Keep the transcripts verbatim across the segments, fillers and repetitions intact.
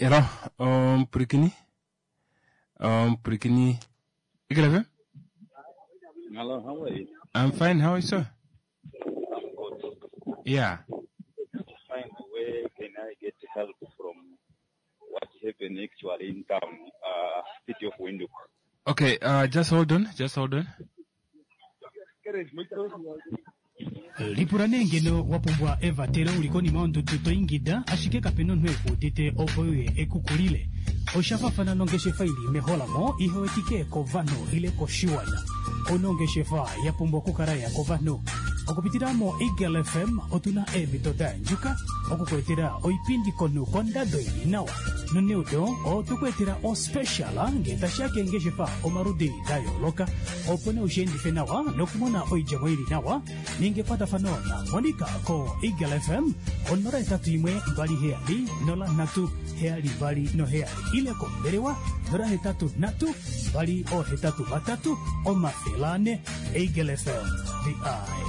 Hello, omupwilikini omupwilikini Eagle F M? Hello, how are you? I'm fine, how are you, sir? I'm good. Yeah. To find where can I get help from what happened actually in town, uh, city of Windhoek. Okay, uh, just hold on, just hold on. Lipula nee ngeno wa pumbwa evatelo uli konima yondudu to ingida ashike kape na omunhu eku udite opo uye ekukulile. Osha fafana nongeshefa ili meholamo ihe wetike kovanhu ile koshiwana. Onongeshefa ya pumbwa okukala ya kovanhu. Okupitila mo Eagle F M otuna eemhito da yandjuka okukuetela oipindi konhu kondado ili nawa. Noneudo otukuetela ospecial ngee tashiya keengeshefa omaludi da yooloka opo nee ushiendife nawa nokumona oidjemo ili nawa. Ninga ekwatafano na Monica ko Eagle F M onola hetatu imwe mbali heyali nola nhatu heyali mbali noheyali ile kombelewa nola hetatu nhatu mbali ohetatu vatatu omafele ane. Eagle F M, the eye.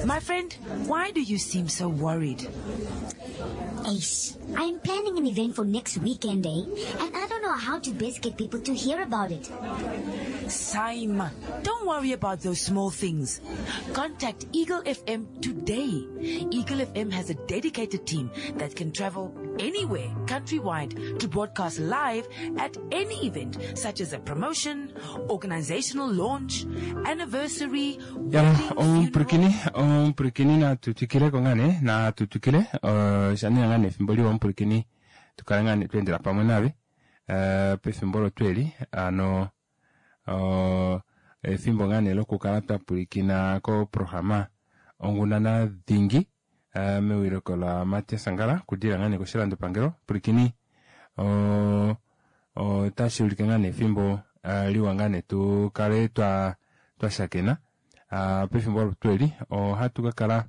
My friend, why do you seem so worried? Ace, I'm planning an event for next weekend, eh? And I don't know how to best get people to hear about it. Saima, don't worry about those small things. Contact Eagle F M today. Eagle F M has a dedicated team that can travel anywhere countrywide to broadcast live at any event, such as a promotion, organizational launch, anniversary, Ya, wedding, funeral. Omupwilikini, omupwilikini natutwikile ko ngaa nee, natutwikile, eh, sha nee ngaa nee efimbo liwa omupwilikini, tukale ngaa nee tweendela pamwe nave, eh, pefimbo olo tweli, ano, oh, efimbo ngaa nee lokukala twa pwilikina koprograma Ongunana Dhingi, eh, mewiliko la Matias Angala, kudila ngaa nee koshilandopangelo. Pwilikini, oh, otashi ulike ngaa nee efimbo, eh, liwa ngaa nee tu kale twa, twa shakena. Ah, pefimbo olo tweli, ohatu ka kala,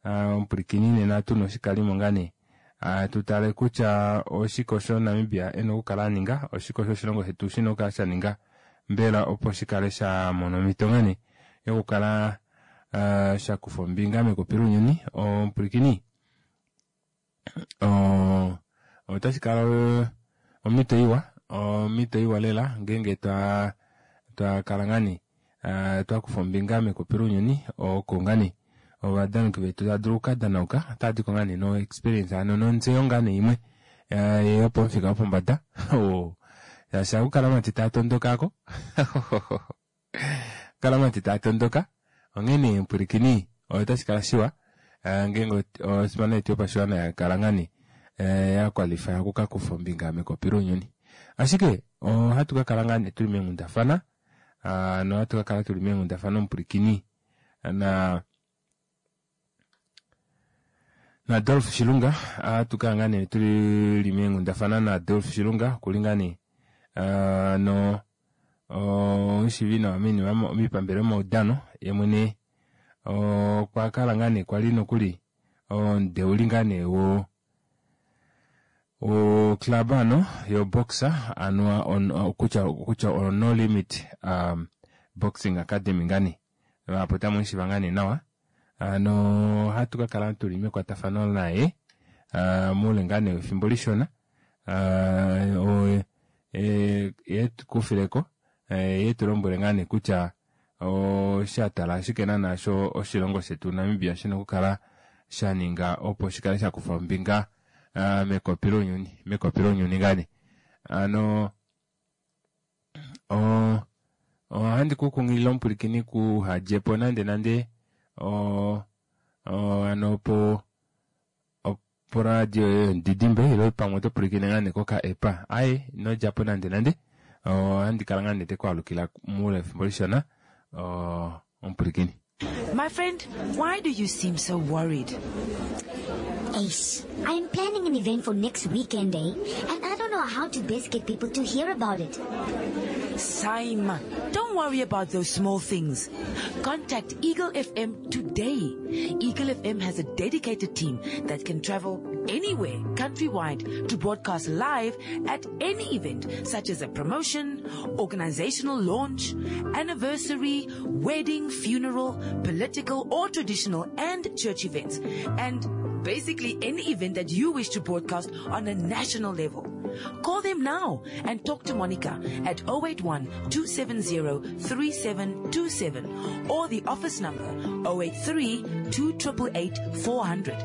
ah, omupwilikini nena tuna oshikalimo ngaa nee. Ah, tu tale kutya oshike osho Namibia e na okukala a ninga, oshike osho oshilongo shetu shina okukala sha ninga, mbela opo shi kale sha mona omhito ngaa nee yokukala, ah, sha kufa ombinga mekopi lounyuni. Omupwilikini, o-, otashi kala omhito iwa, omhito iwa lela ngeenge twa, twa kala ngaa nee, ah, twa kufa ombinga mekopi lounyuni, oko ngaa nee ovadanoki vetu tava dulu okukadanauka, otava diko ngaa nee no experience, ano nontseyo ngaa nee imwe, eh, yopomufika wopombada. Oh, shaashi ohaku kala omati taa tondoka ko. Kala omati taa tondoka. Onghene mpwilikini, otashi kala shiwa, eh, ngeenge osipana yetu yopashiwana ya kala ngaa nee, eh, ya qualify okukakufa ombinga mekopi lounyuni. Ashike ohatu ka kala ngaa nee tuli meenghundafana, ah, nohatu ka kala tuli meenghundafana omupwilikini na, na Adolf Shilunga. Ohatu kala ngaa nee tuli meenghundafana na Adolf Shilunga, okuli ngaa nee, ah, no, omushivi nawa minima mipambele yomaudano. Ye mwene, okwa kala ngaa nee kwali nokuli omudeuli ngaa nee wo, wo club ano yo boxer, ano, on, kutya, kutya o No Limit, um, Boxing Academy ngaa nee. Apo tamu mushiva ngaa nee nawa. Ano ohatu ka kala tuli mekwatafano naye, ah, muule ngaa nee wefimbo lishona. Ah, o, e, ye tu kufileko, e, ye tu lombwele ngaa nee kutya osha tala ashike naana sho oshilongo shetu Namibia shina okukala sha ninga opo shi kale sha kufa ombinga, ah, mekopi lounyuni, mekopi lounyuni ngaa nee. Ano, o, ohandi ku kunghilile omupwilikini kuhadjepo nande nande, o, o, ano po, opo radio yoye yomudidimbe, ile pamwe oto pwilikine ngaa nee koka epa. Aye, ino djapo nande nande. Ohandi kala ngaa nee te ku alukila muule wefimbo lishona, o, omupwilikini. My friend, why do you seem so worried? Ace, I'm planning an event for next weekend, eh? And I don't know how to best get people to hear about it. Saima, don't worry about those small things. Contact Eagle F M today. Eagle F M has a dedicated team that can travel anywhere countrywide to broadcast live at any event, such as a promotion, organizational launch, anniversary, wedding, funeral, political or traditional and church events. And Basically, any event that you wish to broadcast on a national level. Call them now and talk to Monica at oh eight one, two seven zero, three seven two seven or the office number oh eight three, two triple eight, four hundred.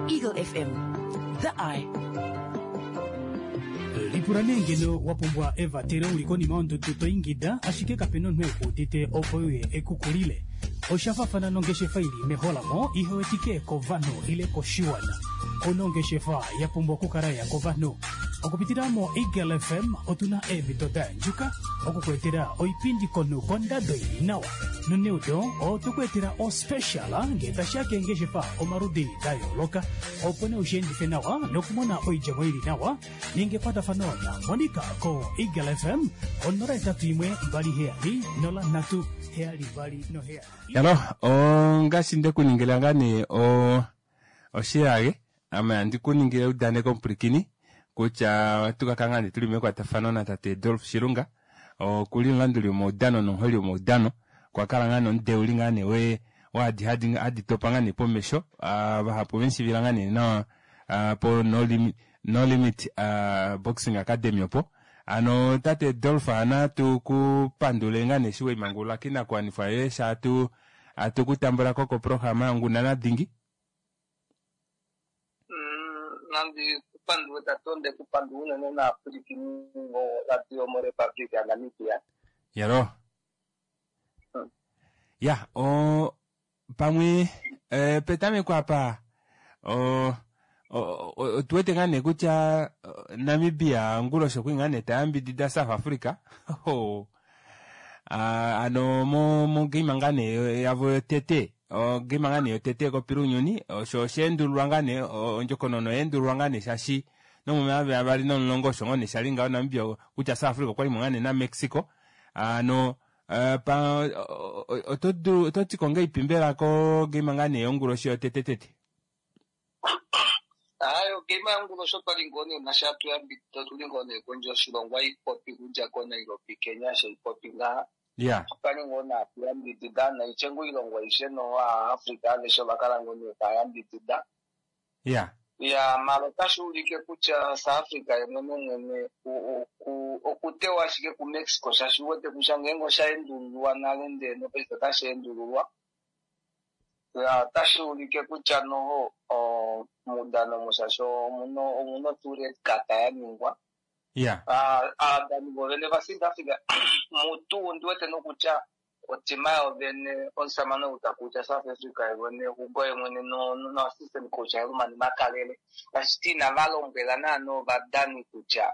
Eagle F M, the eye. Lipula nee ngeno wa pumbwa evatelo uli konima yondudu to ingida, ashike kapena omunhu e ku udite opo uye ekukulile. Osha faafana nongeshefa ili meholamo ihe wetike kovanhu ile koshiwana. Ono ongeshefa ya pumbwa okukala ya kovanhu. Okupitila mo Eagle F M otuna eemhito da yandjuka okukuetela oipindi komunhu kondado ili nawa. Noneudo otukuetela ospecial ngee tashiya keengeshefa omaludi da yooloka, opo nee ushiendife nawa nokumona oidjemo ili nawa. Ninga ekwatafano na Monica ko Eagle F M onola etatu imwe mbali heyali nola nhatu heyali mbali noheyali. Yalo, ongaashi ndekuningila ngaa nee o-, oshiyage, ame handi kuningile eudaneko omupulikini kutya ohatu ka kala ngaa nee tuli mekwatafano natate Dolf Shilunga, okuli omulanduli womaudano nomuholi womaudano. Okwa kala ngaa nee omudeuli ngaa nee we-, waadi hadi, hadi topa ngaa nee pomesho, ah, vahapu venshivila ngaa nee nawa, ah, po No Limit, No Limit, ah, Boxing Academy opo. Ano tate Dolf, natu ku pandule ngaa nee eshi weimangulula kinakuwanifwa yoye, sha atu, atu ku tambula ko koprograma yOngunana Dhingi. Mm, nandi kupandule tate, onde kupandula unene naapwilikini voradio moRepublic ya Namibia. Yalo. Mm. Ya, o, pamwe, eh, petameko apa, o, o, o, otu wete ngaa nee kutya, o, Namibia onguloshi okwi ngaa nee ta yambidida South Africa. Ho. Ah, ano mo, mo game ngaa nee yavo yotete, o game ngaa nee yotete kopilunyuni, osho osheendululwa ngaa nee, o, ondjokonona oyeendululwa ngaa nee shaashi nomomayovi avali nomulongo osho ngoo nee shali ngaho Namibia kutya South Africa okwali mo ngaa nee naMexico. Ano, eh, pa, o, o, oto dulu, oto ti ko ngeipi mbela ko game ngaa nee yonguloshi yotete tete? Ayo, game yonguloshi otwali ngoo nee nasha tuyambidida, otuli ngoo nee kondje yoshilongo, aipopi kudja ko Nairobi, Kenya, shaipopi ngaha. Yeah. Otwali ngoo nee atuyambidida, naitye ngoo oilongo aishe no Africa aveshe ovakala ngoo nee tayambidida. Yeah. Ya, mara otashi ulike kutya South Africa ye mwene mwene u-, u-, ku-, okutewa ashike ku Mexico, shaashi uwete kutya ngeenge osha endululwa nale ndee nopaife otashi endululwa. Ya, otashi ulike kutya noho, o, muudano mushasho omuno, omuno tuu red card ya ningwa. Yeah. Ah, aadani vovene va South Africa, mutu ondi wete nokutya otima yovene omusamane ou takuutya South Africa yovene, Hugo yemwene no, no, no assistant coach Herman Makalele. Tashiti inava lombwela naana ovadani kutya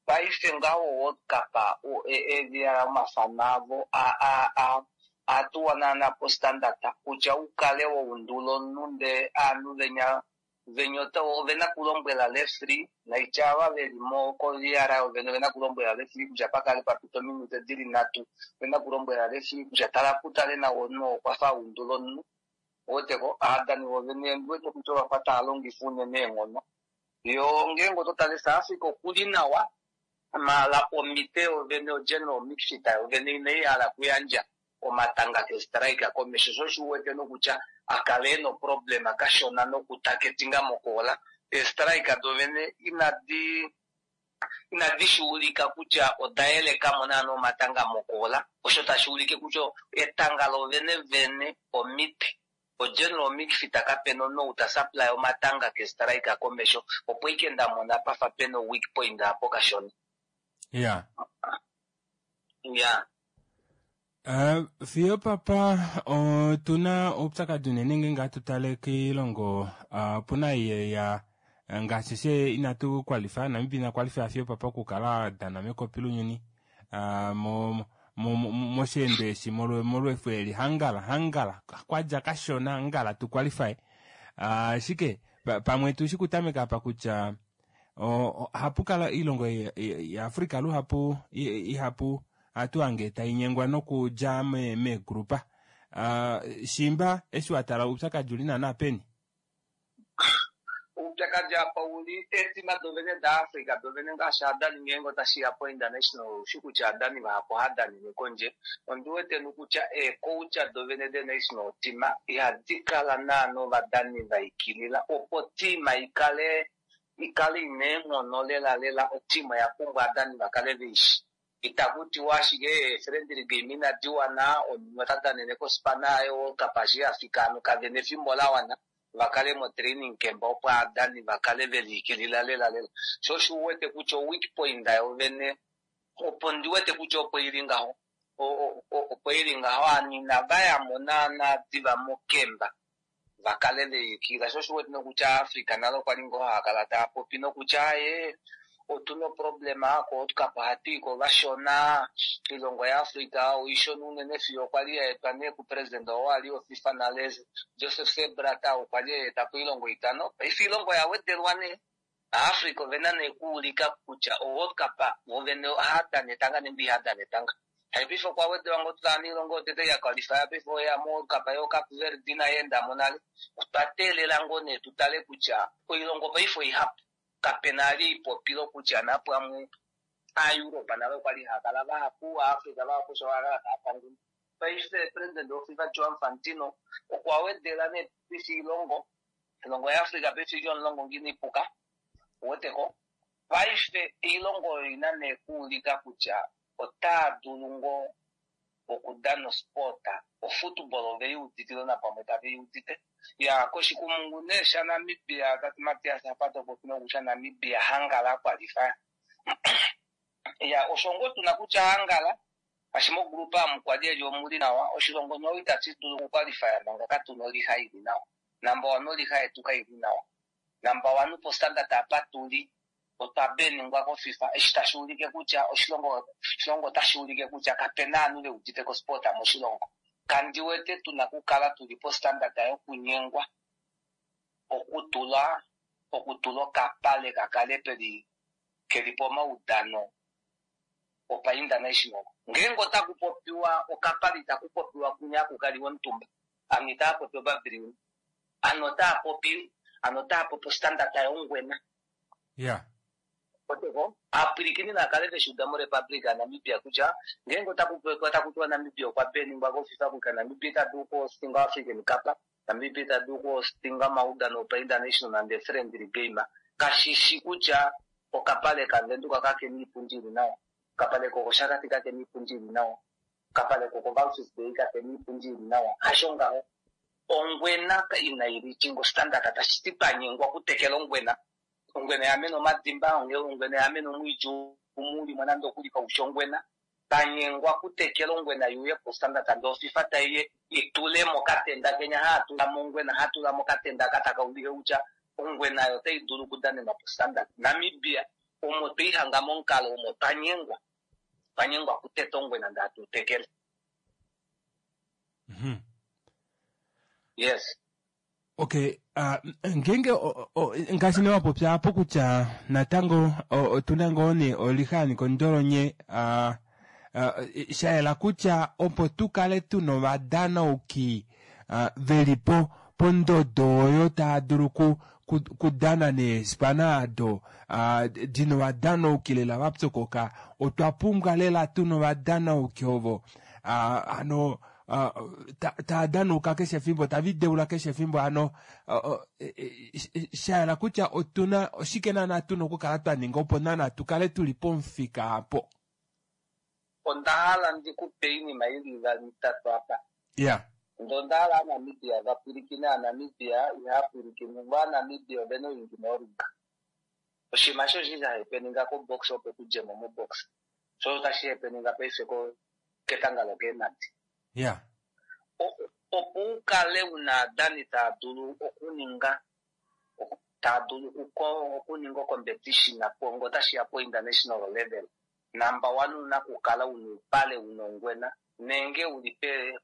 paife ngaho World Cup, o, e, e, via omafano avo, a, a, a, a tuwa naana po standard, kutya ukale wa undula omunhu ndee aanhu venya, venya ota, ovena kulombwela referee, naitya ava veli mo ko V R ovene ovena kulombwela referee kutya pakale papita ominute dili nhatu, ovena kulombwela referee kutya tala kutale nawa omunhu okwa fa undula omunhu. Weteko, aadani vovene ndiwete kutya ovafa tava longifa unene eenghono. Yo ngeenge oto tale South Africa okuli nawa, mala omite yovene o general mixita yovene inai hala kuyandja omatanga ke striker komesho, sho shi uwete nokutya akale ena problem kashona nokutaketinga mokoola. E striker dovene inadi, inadi shi ulika kutya oda yeleka mo naana omatanga mokoola, osho tashi ulike kutya etanga lovene vene omite. O general mixita kapena omunhu ou ta supply omatanga ke striker komesho, opo ike nda mona pafa pena weak point apo kashona. Yeah. Yeah. Eh, fiyo papa, otuna oupyakadi unene ngeenge hatu tale koilongo, ah, opuna iye ya, ngaashi she inatu qualify, Namibia ina qualify fiyo papa okukala dana mekopi lounyuni, ah, mo, mo, mo, mosheendo eshi, molwe, molwefu eli, hangala, hangala, kwadja kashona, hangala tu qualify. Ah, ashike, pa-, pamwe tu shi kutameka apa kutya, o, o, hapu kala oilongo ya, ya, ya Afrika luhapu, i-, ihapu, atu ange tainyengwa nokudja me-, meegrupa. Ah, shimba, eshi wa tala oupyakadi uli naana peni? Oupyakadi apa uli eetima dovene daAfrica dovene ngaashi adani ngeenge otashiya po international oushi kutya adani vahapu ohadanine kondje. Ondi wete nokutya eecoach dovene de national team ihadi kala naana ovadani vaikilila opo tima ikale ikale ina eenghono lela lela. Otima oya pumbwa adani vakale veishi. Itaku tiwa ashike friendly game inadi wana, omunhu ota danene kospana yaye World Cup eshi yafika ano kavena efimbo lawana vakale mo training camp opo adani vakale veliikilila lela lela. Sho osho uwete kutya o weak point yovene opo ndi wete kutya opo ili ngaho, opo ili ngaho ovanhu inava yamo naana diva mokemba vakale veliikilila. Sho osho uwete nokutya Africa nale okwali ngoo haakala taa popi nokutya aye otuna oproblema ko World Cup ohatu iko vashona, oilongo yaAfrica oishona unene fiyo okwali yaetwa nee kupresident oo ali woFIFA nale Joseph Sepp Blatter okwa li aeta po oilongo itano. Paife oilongo oya wedelwa nee. Africa ovena nee kuulika kutya o World Cup vovene ohadana etanga nenge ihadana etanga. Hai paife okwa wedelwa ngoo tutala noilongo yotete ya qualify paife oya mo World Cup yo Cape Verde inayi endamo nale. Otwa teelela ngoo nee tutale kutya oilongo paife oihapu. Kapena ali ipopilo kutya napamwe aEurope nale okwali haakala vahapu, aAfrica vahapu sho vakala tava pangula. Paife president woFIFA Gianni Infantino okwa wedela nee paife oilongo, oilongo yaAfrica paife ili omulongo ngine ipuka, uweteko. Paife oilongo oyo ina nee kuulika kutya otaa dulu ngoo okudana osport, ofootball oveiuditile napamwe taveiudite. Ya koshikumungu nee shaNamibia tati Matias apa topopi nokutya Namibia hangala akwalify. Ya osho ngoo tuna kutya hangala ashi mogrupa amu kwali eli omuli nawa, oshilongo no itashi dulu okukwalifya manga katuna oliha ili nawa. Number one oliha yetu kaili nawa. Number one po standard apa tuli otwa beningwa koFIFA eshi tashi ulike kutya oshilongo oshilongo otashi ulike kutya kapena ovanhu veudite kosport moshilongo. Kandi wete tuna kukala tuli po standard yokunyengwa okutula okutula okapale kakale peli keli pomaudano opa international. Ngeenge otaku popiwa okapale itaku popiwa kunya kukaliwa omutumba, ano itaa popi opabilioni, ano otaa popi ano otaa popi ostandard yongwena. Yeah. Oteko aapwilikini nakale veshuda moRepublic yaNamibia kutya ngeenge otaku otaku tiwa Namibia okwa beningwa koFIFA kutya Namibia ita dulu okuhostinga African Cup, Namibia ita dulu okuhostinga omaudano opa international nande friendly game, kashishi kutya okapale kaVenduka kakena iipundi ili nawa, okapale kokOshakati kakena iipundi ili nawa, okapale kokoWalvis Bay kakena iipundi ili nawa. Hasho ngaho ongwena inayi reachinga standard, tashi ti twanyengwa okutekela ongwena. Ongwena yamena omadimba, ongwena yamena omwiidhi umulimo nande okuli kaushi ongwena. Tanyengwa okutekela ongwena yuye po standard ndee oFIFA taiye itulemo okatenda kenya haatulamo ongwena, hatulamo okatenda ka taka ulike kutya ongwena oyo otayi dulu okudanenwa po standard. Namibia omo tweihanga momukalo omo twanyengwa, twanyengwa okuteta ongwena ndee hatu tekele. Mm-hmm. Yes. Okay, uh, ngeenge ngaashi nee wapopya apo kutya natango otuna ngoo nee oliha yanika ondolonye, uh, uh, sha yela kutya opo tukale tuna ovadanauki uh, veli po pondodo oyo tava dulu ku kudana neespana ado uh, dina ovadanauki lela vapyokoka, otwa pumbwa lela tuna ovadanauki ovo uh, ano Uh, tava danauka keshe efimbo, tava ideula keshe efimbo. Ano uh, uh, sha yela kutya otuna oshike naana tuna okukala twa ninga opo naana tukale tuli pomufika apo. Onda hala ndikupe iinima ili ivali itatu apa. Yeah. Ndee onda hala aaNamibia vapwilikine. AaNamibia ihaya pwilikine, vo aaNamibia ovena oingi noruga. Oshinima sho oshi sha happeninga kobox opo kudjemo mobox, sho otashi happeninga paife ketanga lokeemhadi. Yeah. Opo ukale una aadani tava dulu okuninga tava dulu okuninga ocompetition ngo otashiya po international level, number one una kukala una uupale una ongwena nenge uli pe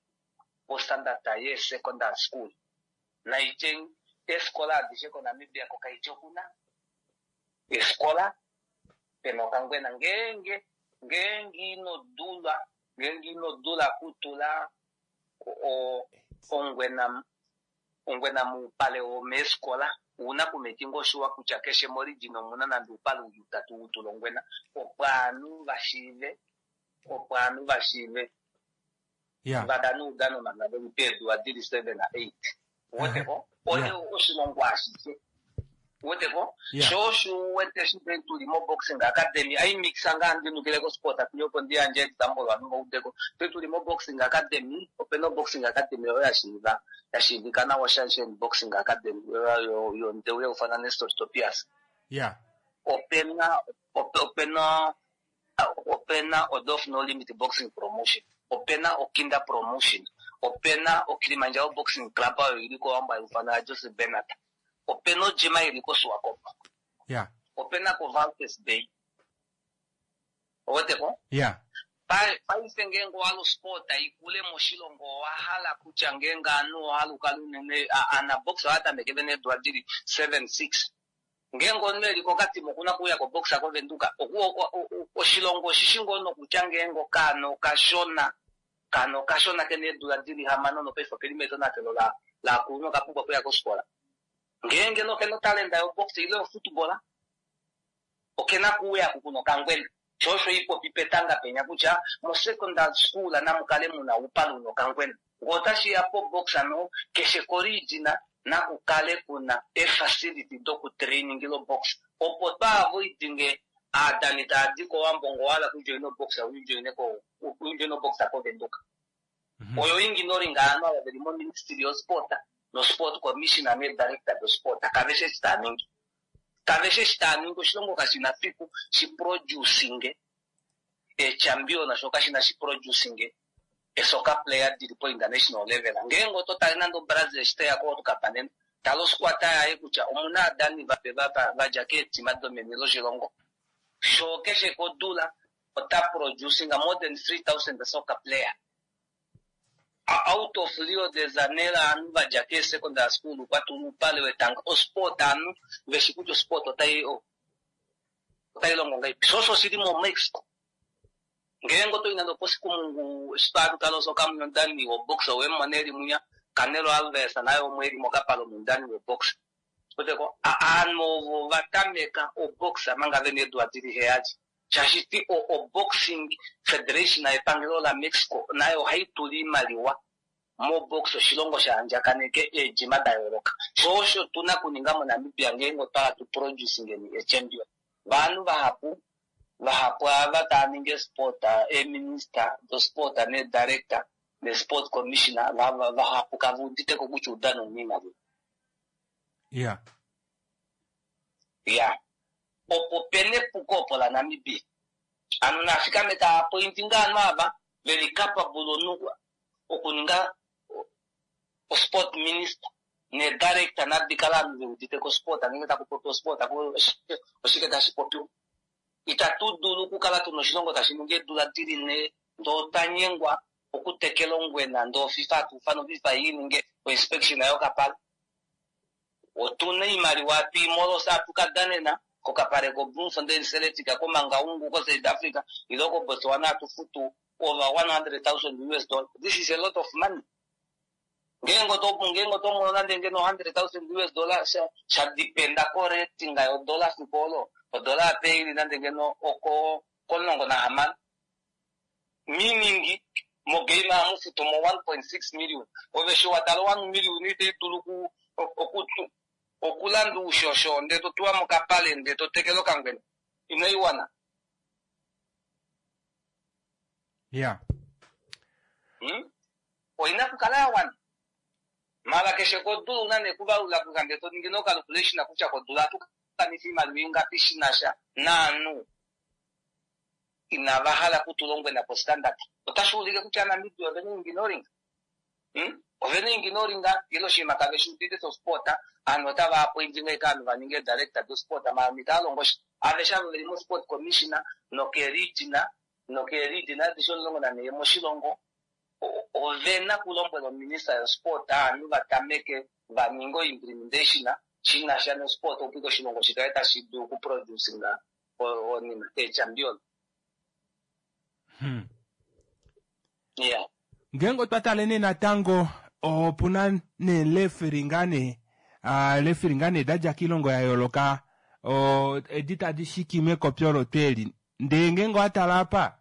postandard ye secondary school. Naitye eefikola adishe koNamibia kokaitye okuna efikola pena okangwena. Ngeenge ngeenge ino dula ngeenge ino dula kutula ongwena ongwena muupale womeefikola Una kumekinga oshuwa kutya keshe morijini omuna nande oupale uli utatu wutulongwena opo aanhu vashiive opo aanhu vashiive ya vadane oudano manga veli peedula dili seven na eight weteko oye oshilongo ashishe weteko Yeah. sho osho uwete shi tuli moboxing academy aimixa ngaa ndinukile kosport atuli opo ndiyandje example vanhu vaudeko pe tuli moboxing academy opena oboxing academy oyo yashiiva yashiivika nawa Sunshine Boxing Academy oyo yondeu yaufana Nestor Topias ya opena ope- opena opena Odof No Limit Boxing Promotion opena Okinda Promotion opena Okilimanjaro Boxing Club oyo ili kowambo yaufana Joseph Bernard opena ojima ili koSwakopo ya opena ko Valtes Bay oweteko ya Pa- paife ngeenge owahala osport ikule moshilongo owahala kutya ngeenge aanhu owahala ukale unene a- anabox ohatameke vene eedula dili seven six ngeenge omunhu eli kokatima okuna kuuya koboxa kovenduka Oku- o- o- o- oshilongo oshishi ngoo nokutya ngeenge okaana okashona kaana okashona kena eedula dili hamano nopaife okeli metonatelo la lakulunhu okapumbwa okuya kofikola ngeenge nokena otalenda yobox ile yofootball okena kuuya kukuna okangwena sho osho ipopi petanga penya kutya mosecondary school namukale muna uupale una okangwena ngee otashiya pobox ano keshe korijina nakukale kuna efacility dokutrainingila obox opo twaavoidinge aadani taadi kowambo ngo wahala kujoina obox ujoine ko ujoine obox kovenduka oyo inginoringa aanhu ava veli moministry yosport nosport commissioner nedirector dosport kaveshe eshi taaningi kaveshe eshi taaningi oshilongo kashina fiku shiproducinge echampion sho kashina shiproducinge esoka player dili po international level ngeenge oto tale nande obrazil eshi teya ko World Cup nena tala osquata yaye kutya omuna aadani vape va- vadja keetima domeni loshilongo sho keshe kodula ota producing more than three thousand soccer player out of Rio de Janeiro aanhu vadja keesecondary school kwatula uupale wetanga osport aanhu veshi kutya osport otai otai longo ngaipi sho osho oshili moMexico ngeenge otoyi nande oposikumungu eshi twatutala osoka mundani wobox owemona eli munya Canelo Alves naye omwe eli mokapale omundani wobox oteko aanhu ovo vatameka obox manga vena eedula dili heyali shashiti o, o boxing federation yepangelo la Mexico nayo ohayi tula iimaliwa mobox oshilongo shaandjakaneke eedjima da yooloka sho osho tuna kuninga moNamibia ngeenge otwala tu producingeni echampion vanhu vahapu vahapu ava tava ningi esport eeminister dosport nedirector nesport commissioner va- vahapu kava uditeko kutya oudano una iimaliwa ya ya opo pena epuko opo laNamibia ano nafikame taapointinga aanhu ava veli capable onu okuninga o- osport minister nedirector nadikala aanhu veuditeko sport ngeenge taku popi osport aku- oshike tashi popiwa itatu dulu okukala tuna oshilongo tashi ningi eedula dili nhee ndee otwanyengwa okutekela ongwena ndee oFIFA atuufana oFIFA ininge oinspection yokapale otuna iimaliwa atuimolosa atukadanena kokapale ko Bloemfontein Celtic koMangaung ko South Africa ile ko Botswana atufutu over one hundred thousand US dollar this is a lot of money ngeenge oto ngeenge oto mono nande ngeno hundred thousand US dollar sha sha dependa ko rating yodola fiku olo odola ape ili nande ngeno oko komulongo nahamano meaning mogame amufutu mo one point six million ove shi watala one million ite dulu ku oku okulanda uushosho ndee totuwa mokapale ndee totekele okangwena inoiwana ya hmm? oina kukala ya wana mala keshe kodula una nekuvalula kuka ndee toningi nocalculation kutya kodula atukanisa iimaliwa ingapi shinasha naanhu inava hala kutulongwena po standard otashi ulike kutya Namibia ovena inginoringa hmm? ovena inginoringa ile oshinima kave shi udite sosport aanhu otava apointinga eka aanhu vaninge director dosport maanhu itaalongo sha aveshe ava veli mosport commissioner nokeerijina nokeerijina adishe omulongo nanhee moshilongo o- ovena kulombwela ominista yosport aanhu vatameke vaninge oimplementation shinasha nosport opo ike oshilongo shikale tashi dulu okuproducinga onima eechampion hmm. yeah ngeenge otwa tale nee natango opuna neeleferi ngaa nee Referee ngaa nee dadja koilongo ya yooloka edi tadi shiki mekopi olo tweli ndee ngeenge owatala apa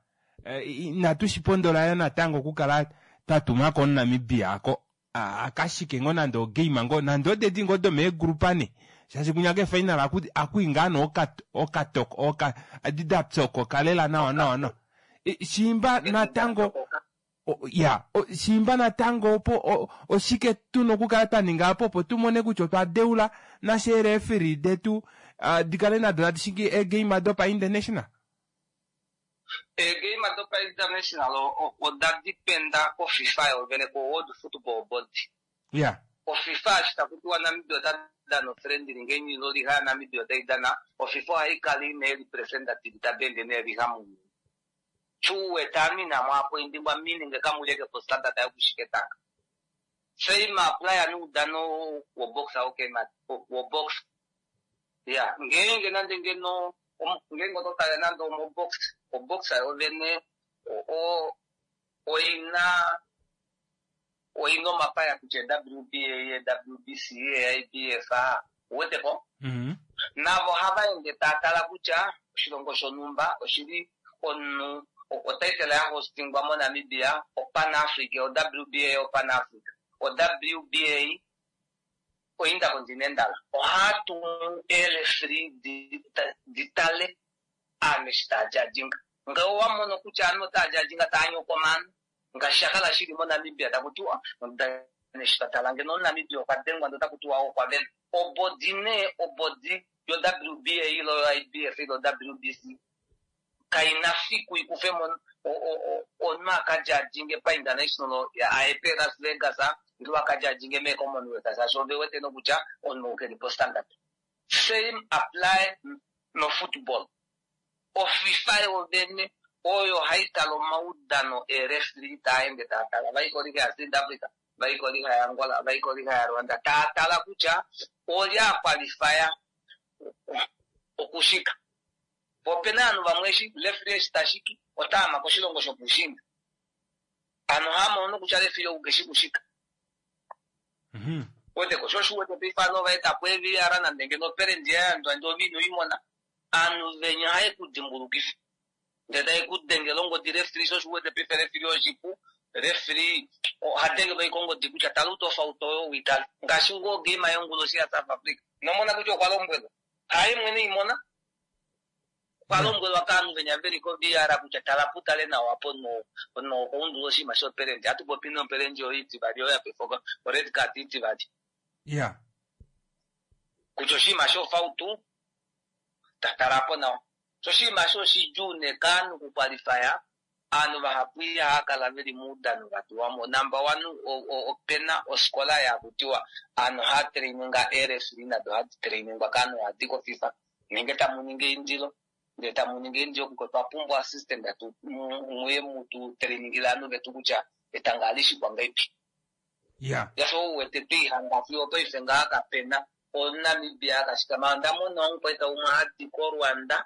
inatu shipondola yoo natango okukala twatumako omuNamibia aako akashike ngoo nande ogame ngoo nande odedi ngoo domeegrupa nee shaashi kunya keefinal akwii ngaa nee okatoko edi dapyokoka lela nawa nawa nawa shiimba natango ya shiimba natango opo oshike tuna okukala twaninga apo opo tumone kutya otwa deula nashe eereferi detu dikale nado tadi shingi eegame dopa international. Eegame dopa international oda dependa koFIFA yovene ko World Football Board. Yeah. OFIFA eshi taku tiwa Namibia ota dana ofriendly ngeenge ino liha Namibia otai dana, oFIFA ohai kala ina representative tava ende neeliha mounyuni. Chuwete ame inamo appointingwa meaning kamuleke po standard yokushika etanga. Same apply noudano wobox okay wobox. Yeah, ngeenge nande ngeno ngeenge oto tale nande omobox, obox yovene o oina oina omapaya kutya W B A, W B C, I B F A, uweteko? Mm-hmm. Navo ohava ende tava tala kutya oshilongo shonhumba oshili omunhu otaitela ya hostingwa moNamibia, oPan Africa, o W B A oPan Africa, o W B A oIntercontinental. Ohatu tumu eelefri ditale ame eshi taa judginga. Ngee owa mono kutya ovanhu otaa judginga taa nyoko omanu, ngaashi sha kala shili moNamibia taku tiwa eshi twa tala ngeno omuNamibia okwa dengwa ndee otaku tiwa okwa vena. Obodi nee obodi yo W B A ilo yo I B F ilo W B C kaina fiku ikufe mo omunhu akajudginge pa international ya A P Las Vegas ilo akajudginge me Commonwealth shaashi ove wete nokutya omunhu keli po standard. Same apply no football. OFIFA yovene oyo hai tala omaudano eerefri taa ende taa tala vai koliga ya South Africa, vai koliga ya Angola, vai koliga ya Rwanda, taa tala kutya olye a qualifya okushika. Opena ovanhu vamwe eshi referee eshi tashiki otaama koshilongo shopuushiinda. Ano hamono kutya referee ou keshi kushika. Mhm. Weteko sho osho uwete paife ovanhu ova eta po E V R nande ngeno operendi ya yandwa ndee ove ino imona. Ovanhu venya ohaye ku dimbulukifa. Ndee taye ku dengele ongodi referee, sho osho uwete paife referee oshipu. Referee oha dengelwa ashike ongodi kutya tala utofauti oyo uitale. Ngaashi ngoo game yonguloshi ya South Africa. Nomona kutya okwa lombwelwa. Haye mwene imona. Okwa lombwelwa kaanhu venya veli ko V R kutya tala putale nawa po no no oundula oshinima shoperendi. Hatu popi noperendi oyo itivali oyo ya pefoka o red card itivali. Yeah. Kutya oshinima shofautu tatala po nawa. Sho oshinima sho oshidjuu nee kaanhu kukwalifaya aanhu vahapu ihava kala veli moudano vatuwa mo. Number one, opena oskola yakutiwa aanhu ohava traininga eerefri nado ohadi trainingwa kaanhu hadi koFIFA. Nenge tamu ningi eindilo, ndee tamu ningi eindilo kutya otwa pumbwa assistant atu muye mutu trainingile aanhu vetu kutya etanga ohali shikwa ngahelipi. Yeah. Yafa ouwete twihanga fiyo paife ngaa kapena omuNamibia akashikama. Onda mona omukwaita umwe hadi koRwanda,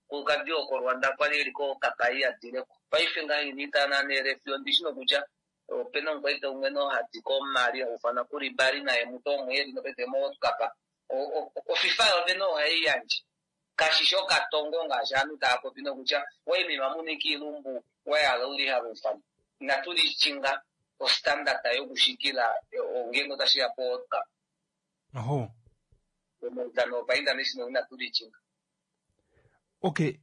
kukadi okoRwanda kwali eli kokapai adileko. Paife ngaa ina neerefi ondishi nokutya opena omukwaita umwe nohadi koMali haufana kulibali naye mutu omwe eli nopaife moKapa. OFIFA yovene ohai yandje. Kashi shi okatongo ngaashi ovanhu tava popi nokutya waimima muniki ilumbu wahala uliha lufana. Inatu lichinga ostandard yokushikila ngeenge otashiya po World Cup. Oho. Omaudano opa international inatu lichinga. Okay.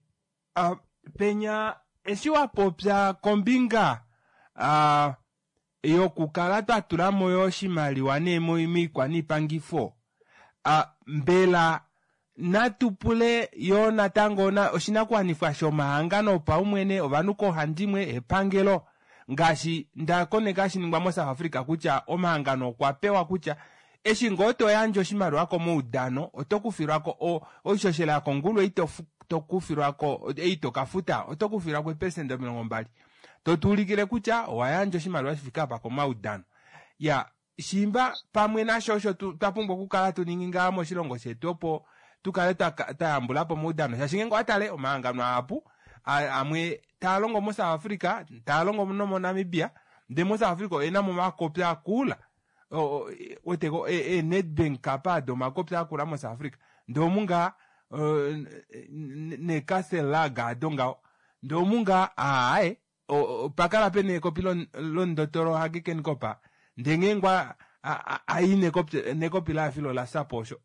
Uh, penya eshi wapopya kombinga uh, yokukala twatula mo yo oshimaliwa nee moikwa niipangifo, uh, mbela natu pule yo natango na oshinakuwanifwa shomahangano opaumwene ovanhu koohandimwe epangelo ngaashi ndakoneka shiningwa moSouth Africa kutya omahangano okwa pewa kutya eshi ngoo to yandje oshimaliwa komaudano oto kufilwako oishoshela yakongulu ei to kufilwako ei to kafuta oto kufilwako eepesenda omilongo mbali to tuulikile kutya owa yandja oshimaliwa shifike apa komaudano. Ya shimba pamwe nasho osho twa pumbwa okukala tuningi ngaa moshilongo shetu opo tukale twayambula po omaudano shaashi ngeenge owatale omahangano ahapu amwe taa longo moSouth Africa taa longo nomoNamibia ndee moSouth Africa oyena mo omakopi akula Weteko e Nedbank Cup ado omakopi akula mo South Africa ndee omu ngaa ne Castle Lager ado ngaho ndee omu ngaa aaye pakala pena ekopi lomundotolo Hage Geingob ndee ngeenge ai nekopi laafilo la sapo osho.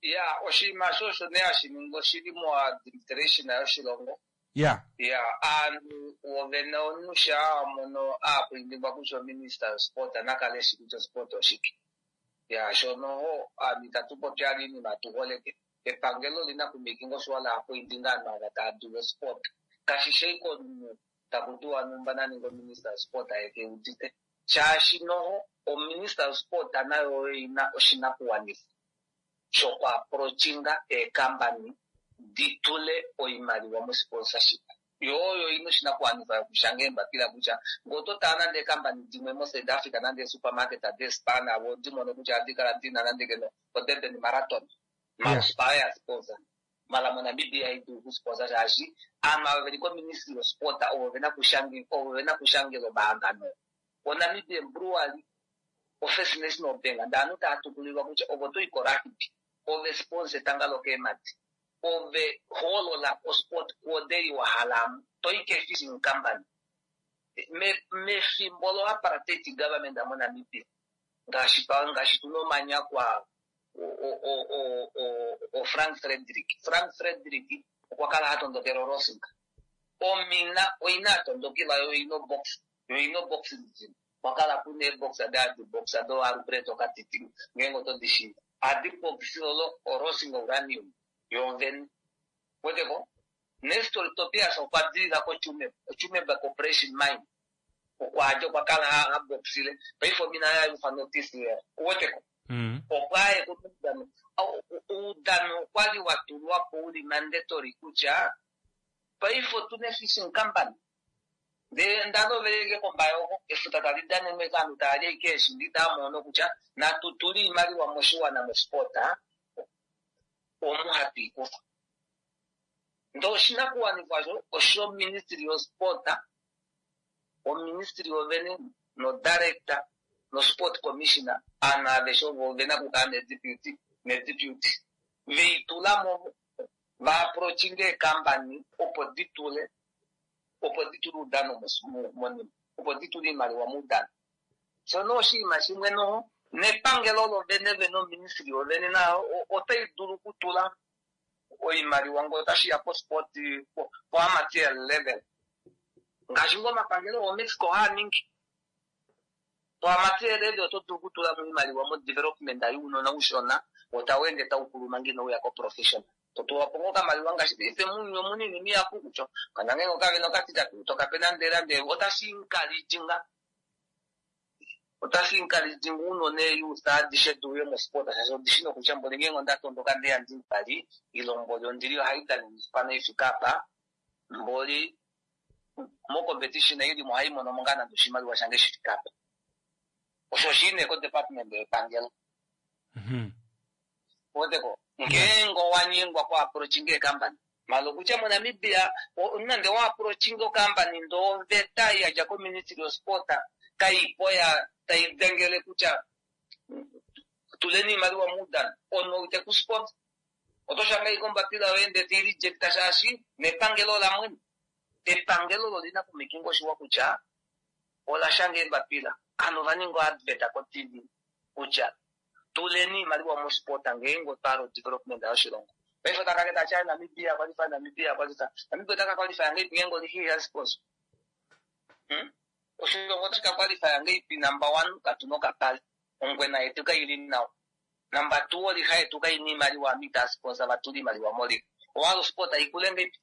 Ya, oshinima sho osho nee hashi ningi oshili mo administration yoshilongo. Ya. Ya, aantu wovene omunhu shaa mono aakwindikwa kutya ominista yosport nakale eshi kutya osport oshike. Ya, shono aantu itatu popi ali iinima tuholeke. Epangelo olina kumakinga osho la akwindinga aantu ava taya dulu osport. Kashi shi komunhu taku tiwa numba naninga ominista yosport aye udite. Shaashi noho ominista yosport nayo oina oshinakuwanifwa shokwaapproachinga eekampani di tule oimaliwa mosponsorship. Yo oyo ina oshinakuwanifwa yokushanga eembapila kutya ngee oto tala nande eekampani dimwe moSouth Africa nande eesupermarket deespa navo odi mono kutya ohadi kala dina nande keno oDurban Marathon. Mara Spar ya sponsor. Mara moNamibia ihaidulu okusponsor shaashi aantu ava veli koministry yosport ovo vena ovo vena kushangela omahangano. ONamibian Brewery, oFirst National Bank, ndee aanhu taya tukulilwa kutya ovo toyi korugby, ove sponsor etanga lokeemadi, ove hoolola osport kuodeli wahala toyi kefishing company. Mefimbo lo apartheid government moNamibia ngaashi ngaashi tuna omanyakwa o Frank Frederick. Frank Frederick okwa kala ha tondokela Rosinga. Omina oina atondokela yo ino box, yo ino boxing gym. Kwa kala kuna eebox adi box ado Alfredo Katiti ngeenge oto di shiiva. Adi box olo Rosinga uranium yo vene. Weteko Nestor Tobias okwa dilila koChumeb, Chumeb Corporation Mine. Okwa dja okwa kala ha boxile. Paife omina yayo ufa notice ya. Weteko. Okwa ye koudano. Oudano okwali wa tulwa po uli mandatory kutya paife otuna fishing company. Ndee ndaloveleke kombayo efuta tali danenwe kaanhu taya li ashike eeshi ndi taamono kutya natu tule iimaliwa moshiwana mosport omu hatu ikufa. Ndee oshinakuwanifwa sho osho ministry yosport, oministry yovene no director no sport commissioner aanhu aveshe ovo vena okukala nedeputy nedeputy veitulamo vaapproachinge eekampani opo di tule opo di tule oudano monima, opo di tule iimaliwa moudano. Shono oshinima shimwe noho nepangelo lovene vene oministry yovene nayo otai dulu okutula oimaliwa ngee otashiya posport po amateur level. Ngaashi ngoo omapangelo ooMexico haa ningi. Po amateur level oto dulu okutula mo iimaliwa mo development younona ushona otau ende tau kulu manga inouya ko professional. Totula po ngoo okamaliwa ngaashi paife muuyuni omuna iinima ihapu kutya kana ngeenge okavena okatitatu tokape nande nande otashi encourage otashi encourage uunona eeyouth adishe diuye mosport shaashi odishi nokutya mboli ngeenge onda tondoka ndeya ndimbali ile mboli ondili ohai danene ifika apa mboli mo competition ilimo ohai mono mo ngaa nande oshimaliwa shange shifika apa. Osho oshili nee ko department yepangelo. Weteko ngeenge owanyengwa ku approachinga eekampani mala okutya moNamibia nande wa approachinga okampani ndee oveta yadja koministry yosport kaipo ya tai dengele kutya tuleni iimaliwa moudano omunhu ite ku sponsor oto shanga ashike ombapila yoye ndee tei rejecta shaashi nepangelo ola mwene. Epangelo olo olina okumakinga oshiwa kutya ola shanga eembapila ovanhu ova ninga advert ko T V kutya tuleni iimaliwa mosport ngeenge otwa development yoshilongo. Paife otaka keta tya Namibia qualify, Namibia qualify. Namibia otaka qualify ngeipi ngeenge oli ya sponsor. Hmm? Oshilongo otashi ka qualify ngeipi number one katuna okapale. Ongwena yetu kaili nawa. Number two oliha yetu kaina iimaliwa ita sponsor vatule iimaliwa moliga. Owala osport haikule ngeipi?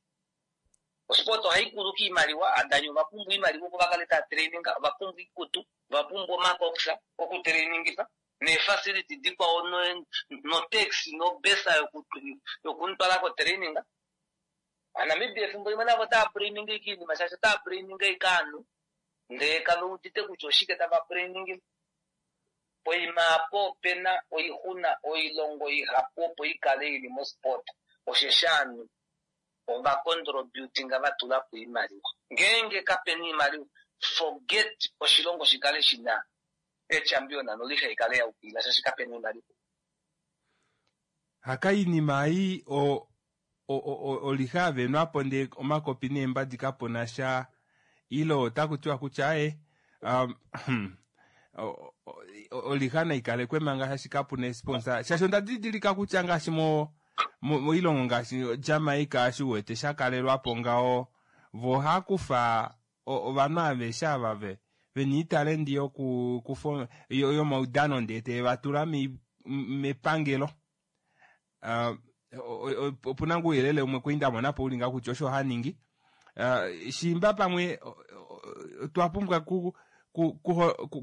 Osport ohaikulu kiimaliwa, aadani ovapumbwa iimaliwa opo vakale taya traininga, ovapumbwa iikutu, ovapumbwa omakoxa okutrainingifa neefacility dikwao no taxi nobesa yokumutwala kotraininga. AaNamibia efimbo limwe navo otava traininga ashike iinima shaashi otava traininga ashike ovanhu ndee kave udite kutya oshike tava trainingile. Poima apo opena oixuna oilongo ihapu opo ikale ili mosport osheshi ovanhu ova contributinga vatula po iimaliwa. Ngeenge kapena iimaliwa forget oshilongo shikale shina echampion noliha ikale yaukilila shaashi kapena oimaliwa. Haka iinima ei o oliha yavenwapo ndee omakopi neembadi kapuna sha ile otaku tiwa kutya aye um, oliha naikalekwe manga shaashi kapuna esponsor shaashi onda didilika kutya ngaashi mo moilongo ngaashi Jamaica ashi uwete shakalelwapo ngaho vo ohakufa ovanhu aveshe ava ve vena iitalendi yokukufa yomaudano ndee tevatula mepangelo. Opuna ngoo ouyelele umwe kwali ndamonapo uli ngaho kutya osho haningi. Shimba pamwe otwa pumbwa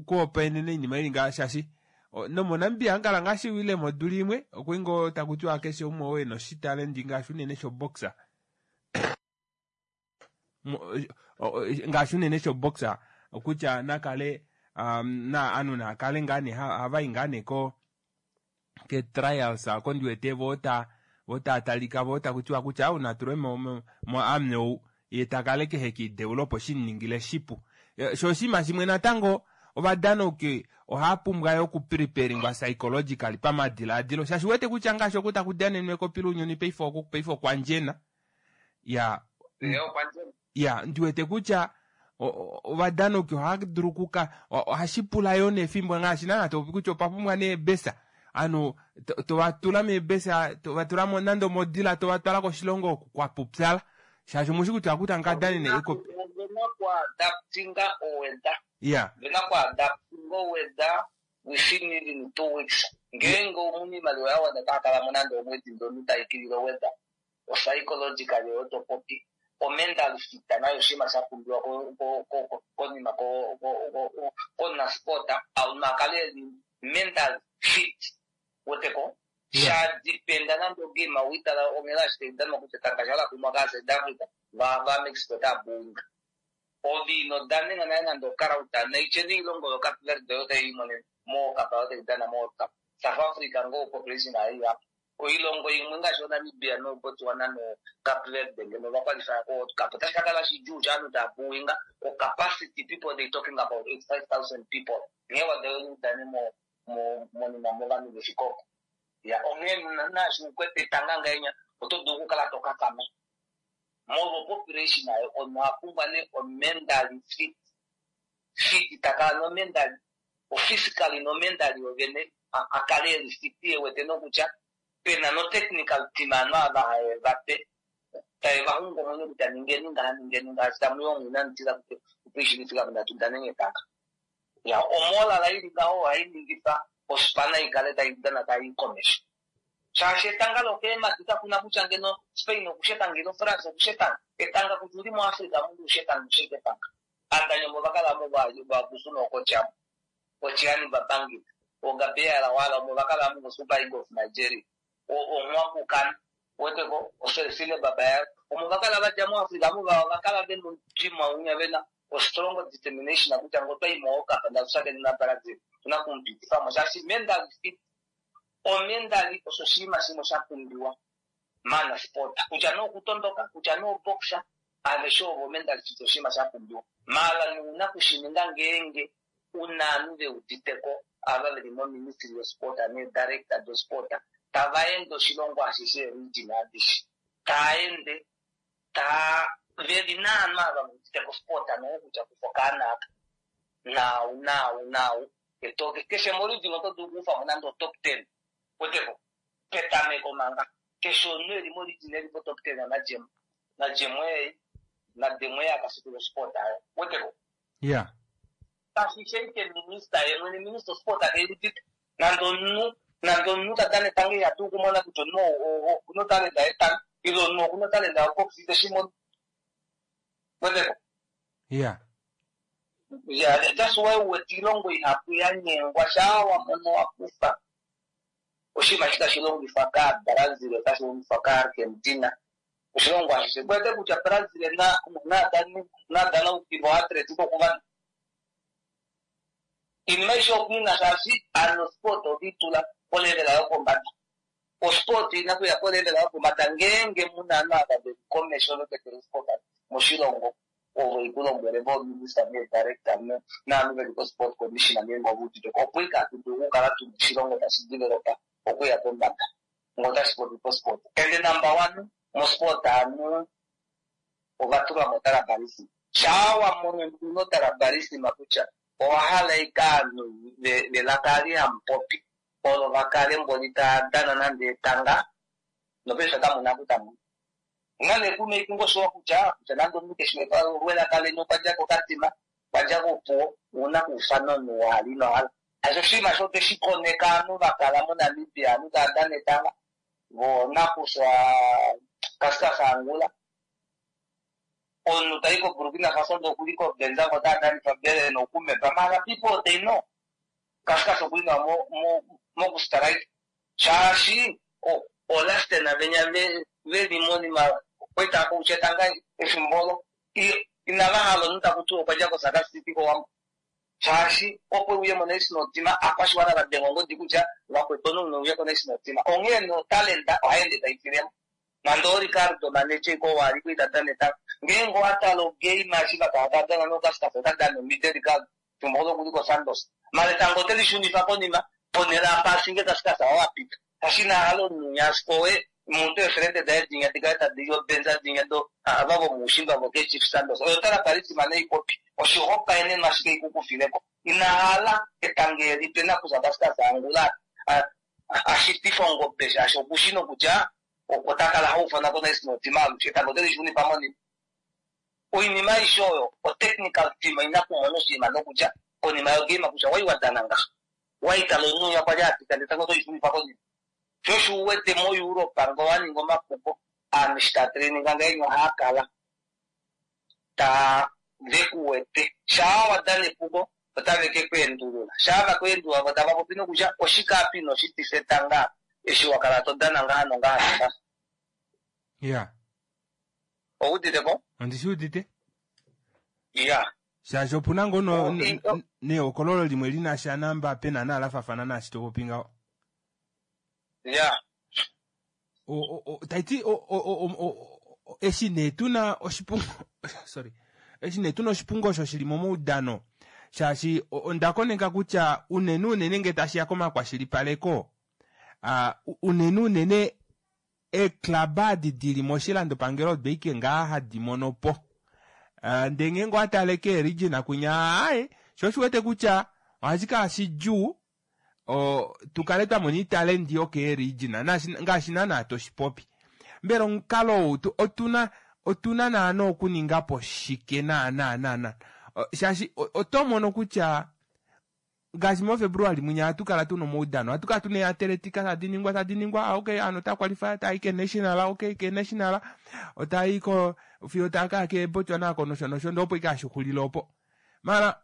kuhopaenena oinima ili ngaha shaashi nomoNamibia hangala ngaashi wile modula imwe okuli ngoo taku tiwa keshe umwe oo ena oshitalendi ngaashi unene shoboxer ngaashi unene shoboxer okutya nakale na anu nakale ngaa nee havayi ngaa nee ko ke trials ako ndiwete vo ta vo tatalika vo takutiwa kutya au natulwe mo mo amne ou ye takale kehe kiideulo opo shiningile shipu. Sho oshinima shimwe natango ovadanauki ohava pumbwa yo okupreparingwa psychologically pamadilaadilo shaashi uwete kutya ngaashi oku taku danenwa ekopi lounyuni paife oku paife okwa ndjena ya ya ndiwete kutya ovadanauki ohava dulu okuka ohashi pula yo nefimbo ngaashi naana topopi kutya opa pumbwa neebesa anu tovatula meebesa tovatula nande omodila tovatwala koshilongo oku kwapupyala shaashi omushi kutya oku tamu kadanene ekopi. Adaptinga oweda. Yeah. Vena ku adaptinga oweda within even two weeks. Ngeenge omuna iimaliwa ya wana taa kala mo nande omwedi ndono taikilile oweda. O psychologically oto popi. O mental fit nayo oshinima sha pumbiwa konima konasport auna kale eli mental fit. Weteko? Sha dependa nande ogame awitala onghela ashike idanwa kutya etanga shala kumwa ka South Africa va va Mexico taa buinga. Ove ino danena naye nande okarauta naiche neilongo yo Cape Verde oyo tai imonene mo Cup oyo tai dana mo World Cup. South Africa ngo population ai apa. Oilongo imwe ngaashi oNamibia no Botswana no Cape Verde ngeno va qualify ko World Cup. Otashi ka kala shidjuu shaanhu taa buinga. O capacity people they talking about eighty-five thousand people. Nghee wa dane mo mo monima movanhu veshikoko. Ya onghee naashi ukwete etanga ngahenya oto dulu okukala to kakama. Molwo population ayo omunhu oha pumbwa nee o mentally fit. Fit takala no mentally, o physically no mentally ovene a kale eli fit ewete nokutya pena no technical team ovanhu ava have vape tave va xungu omwenyo kutya ningeni ngaha ningeni ngaha tamu yongo inamutila kutya opo muna tudaneni etanga. Ya omolala ili ngaho ohai ningifa ospana ikale tai dana tai komesho. Shaashi etanga lokeemadi kakuna kutya ngeno Spain okushetanga ilo France okushetanga. Etanga kutya uli muAfrica mundu ushetanga usheke etanga. Adanyomo vakala mo vabusu nokotyamo. Otyani babangita. Ogabeala wala omo vakala mo Super Eagles of Nigeria. Onwakukana. Weteko oseresile baba ya. Omo vakala vadya muAfrica mo vakala vena dream aunya vena o strong determination kutya ngo twayi mo Cup ndatusakeni na Brazil. Tuna kumpitifa mo shaashi mental fit. O mentally osho oshinima shimwe sha pumbiwa mana sport kutya nookutondoka kutya nooboxa aveshe ovo mental fit oshinima sha pumbiwa mala nuuna kushininga ngeenge una ovanhu veuditeko ava veli moministry yosport needirector dosport tava ende oshilongo ashishe region adishe taa ende taa veli naanhu ava veuditeko sport nokutya kufa okaana aka nau nau nau etoke keshe moregion oto dulu okufamo nande o top ten weteko petameko manga keshe omunhu eli moregion eli po top ten najemo najemo ei nademwe akasukula sport ayo weteko. Yeah. Kashi ike minister ye mwene minister sport akeudite nande omunhu nande omunhu ta dana etanga ihatu okumona kutya omunhu okuna talenta yetanga ile omunhu okuna talenta yobox iteshimono weteko. Yeah. Yeah, that's why uwete iilongo ihapu ya nyengwa shaa wamono wakufa oshinima shi tashi longifwa kaaBrazil otashi longifwa kaArgentina oshilongo ashishe kwete kutya Brazil na nadana ukivo Atletico okuva iinima aishe okunina shaashi ano sport oditula polevela yopombada osport ina kuya polevela yopombada ngeenge muna ovanhu ava veli komesho veketele sport moshilongo ovo ikulombwele vominista needirector naanhu veli ko-sport commissioner ngeenge ovauditeko opo ike hatu dulu okukala tuna oshilongo tashi developa okuya pombada ngo tashi popi posport. And number one mosport anu ovatulwa motribalism shaa wamono nduno tribalism kutya owahala ike aanhu velaka ali hamupopi olo vakale mboli tadana nande etanga nopesha kamuna kutamu ngane kume kungoshowa kutya kutya nande omunhu keshe welaka leni okwadja kokatima kwadja kopuwo una kuufana omunhu wali nohala asho oshinima sho tweshi koneka aanhu vakala moNamibia aanhu tava dana etanga vonakuswa Kaskas Angula omunhu tayi koBurkina Faso ndee okuli koBenza ngo tadanifa bele nokumepa mara people they know Kaskas okuli nawa mokustrike shaashi olastena venya veli monima kwetaka kutya etanga efimbo olo inava hala omunhu takuti okwadja koSaka City kOwambo shaashi opo uye monational team akwashiwana vadenga ongodi kutya vakwetu omunhu uye konational team onghee notalenta ohaende taifilemo nande oRicardo Maneche ko wali kuita dana ngeenge owatala ogame eshi vakala tadana noKaskas otadana omite Ricardo fimbo olo kuli koSantos mara etango otelishunifa konima ponhele apa ashinge Kaskas owapita kashina hala omunhu asikowe muntu eferente daye dinya dikale tadi obenza dinya do ava vomuushimba vokechief Santos oyo tala palisima neipopi oshihopaenenwa ashike ikukufileko inahala etanga elipe nakuza Kaskas Angula ashitifa ongobe shaashi okushi nokutya otakala haufana konational team alushe etango otelishunifa monima oinima aishe oyo otechnical team ina kumona oshinima nokutya konima yogame kutya wai wadana ngaha waitala omunhu kwali apita ndee etango otolishunifa konima shosho uwete moEurope ngo waninga omapuko aanhu eshi taa traininga ngahenya ohaakala taa vekuwete shaa wadana epuko otave ke kuendulula shaa vakuendulula vo tava popi nokutya oshike apa inoshitifa etanga eshi wakala todana ngaha nongaha nongaha. Ya Ouditeko? Ondishi udite. Ya. Shaashi opuna ngoo nehokololo limwe lina sha namba pena nalafafana naashi topopi ngaho. Ya. Taiti eshi nee tuna oshipungo sorry eshi nee tuna oshipungo osho shili momaudano shaashi onda koneka kutya unene unene nge tashiya komakwashilipaleko unene unene eeklaba adi dili moshilandopangelo odo ike ngaa hadi mono po ndee ngeenge owatale keeregina kunya aye sho oshiwete kutya ohashi kala shidjuu tukale twamona iitalendi yokeeregina ngaashi naana toshipopi mbela omukalo ou otuna otuna naana okuningapo shike naana naana shaashi oto mono kutya ngaashi moFebruary mwinya ohatu kala tuna omaudano ohatu kala tuna eateletika tadi ningwa tadi ningwa okay ano ota qualify tayi ke national okay ke national otayi ko fiyo taka ke Botswana ko nosho nosho ndo opo ikashixulile opo mara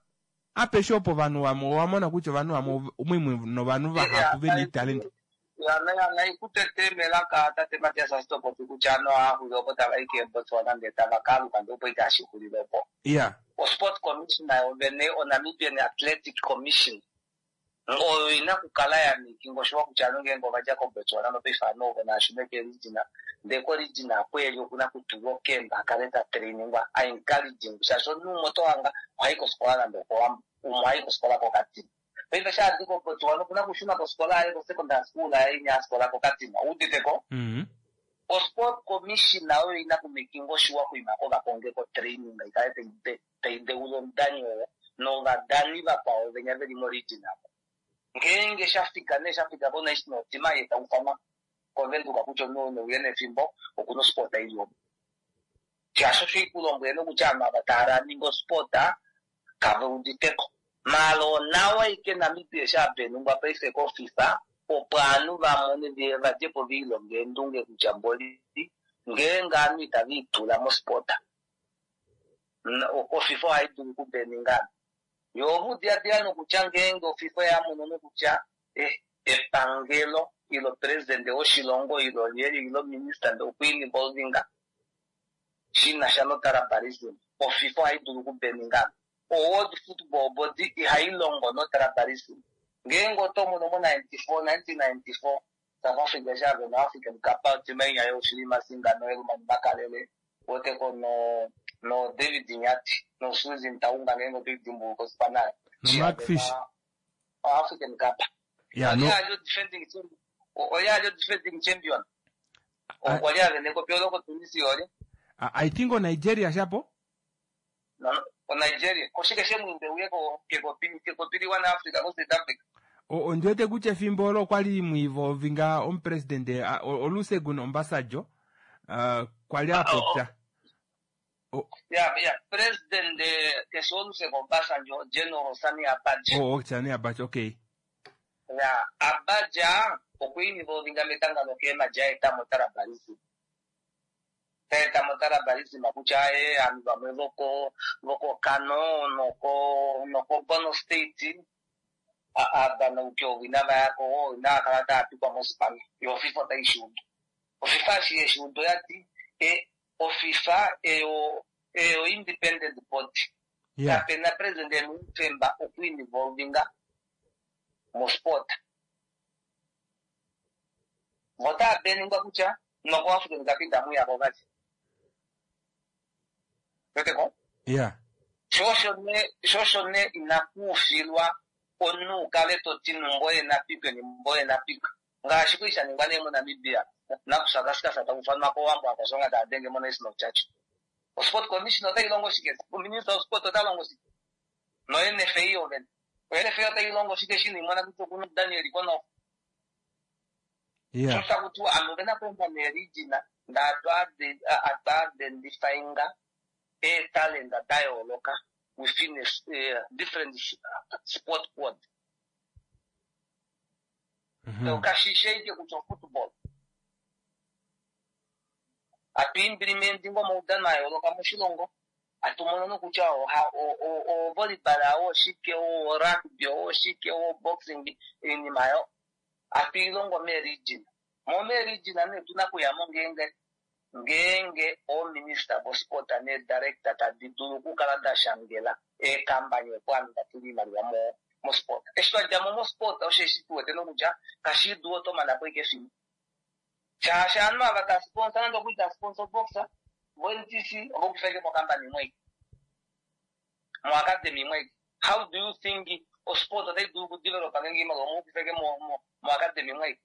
apeshe opo ovanhu vamwe owamona kutya ovanhu vamwe umwe novanhu vahapu vena italenti naikutete melaka tate Matias ashitopopi kutya ano aaxulile opo tava i keBotswana ndee tava kaaluka ndee opo ikashixulile opo. Ya. Osport commissioner yovene oNamibian Athletic Commission oyo ina kukala ya mikingo oshowa kutya ano ngeenge ovadja koBotswana nopaife ovanhu ovo naashune keregina ndee koregina apo eli okuna kutulwa okemba akale ta trainingwa a encouraging shaashi omunhu umwe otohanga ohayi kofikola nande okOwambo umwe ohayi kofikola koKatima paife shaadi koBotswana okuna kushuna kofikola yaye kosecondary school yaye inya afikola koKatima ouditeko. Osport commissioner oyo ina kumikinga oshiwa kuima kovakonge ko training ikale taideula omudani oyo novadani vakwao venya veli moregina ngeenge shafika nee shafika konational team ye taufanwa koVenduka kutya omunhu neuye nefimbo okuna osport ili omo shaashi osho ikulombwele nokutya ovanhu ava tava ninga osport kave uditeko mala onawa ike Namibia eshi apenungwa paife koFIFA opo ovanhu vamone vadjepo viilonga eendunge kutya mboli ngeenge ovanhu itava itula mosport oFIFA ohayi dulu okubeninga yo ovudiladila nokutya ngeenge oFIFA yamono nokutya epangelo ilo president woshilongo ilo lyeli ilo minister ndee okwiinvolvinga shinasha notribalism oFIFA ohayi dulu okubeninga oWorld Football Body ihayi longo notribalism ngeenge oto mono mo ninety-four nineteen ninety-four South Africa eshi avena African Cup timainya yoshili Masinga noElman Makalele woteko no No David Nyati no Suzy Ntaunga ngeenge toidimbuluka osipana No Mark Fish. African Cup. Ya no Oye ali defending champion. Oye ali defending champion. Okwa li a vene ekopi olo koTunisia olye. I I think o Nigeria shapo. No, oNigeria. Oshike shemwiimba uye ko- kekopi kekopi liwa naAfrica koSouth Africa. O- ondiwete kutya efimbo olo okwali mwiivolvinga omupresidente a- o- Olusegun Obasanjo uh, kwali a popya Ya ya president eh, keshi Olusegun Obasanjo General Sani Abacha. o Sani Abacha okay Ya Abacha okwa involvinga metanga lokeema jaeta motribalism. Taeta motribalism kutya aye aanhu vamwe voko voko Kano noko noko Borno State aadanauki ovo inava yako inava kala tava pikwa mosipana yo FIFA otai shiudu. OFIFA eshi yeshiudu oyati e, oFIFA eyo eyo independent body. yeah Kapena president ena oufemba okwiinvolvinga mosport. Votava beningwa kutya noko African Cup itamuyako vali. Weteko? yeah Shosho ne shosho ne inakuufilwa omunhu ukale toti numboye napikwe nimboye napikwe ngaashi kwali shaningwa nee moNamibia nakusakasikasa takufanwa kowambo akashonga taadenge moNational Church. Osport commission otai longo shike? Minister of sport ota longo shike? No N F A ovene. O N F A otai longo shike shino imona kutya okuna Daniel Konof. yeah Shosha kuti anhu vena kuenda neregina atwa identifyinga eetalenta da yooloka within a s- eh, different s- sport code. mm-hmm. Kashishe ike kutya football. Atu implementinga omaudhano a yooloka moshilongo. Atu mono nokutya oha- o- o- o volleyball oshike, o rugby oshike, o boxing iinima yo. Atu ilongo meeregina. Mo meeregina nee otuna kuyamo ngeenge ngeenge oominista vosport needirector tadi dulu okukala da shangela eekambani opo ovanhu va tule iimaliwa mo mosport. Eshi twa djamo mosport osheshi tu wete nokutya kashidu oto mana po ike efimbo. Shaashi ovanhu ava ta sponsor nande okuli ta sponsor boxer, vo N T C ovokufa ike mokambani imwe ike. Mo academy imwe ike. How do you think osport otai dulu okudevelopa ngeenge iimaliwa omokufa ike mo, mo, mo academy imwe ike?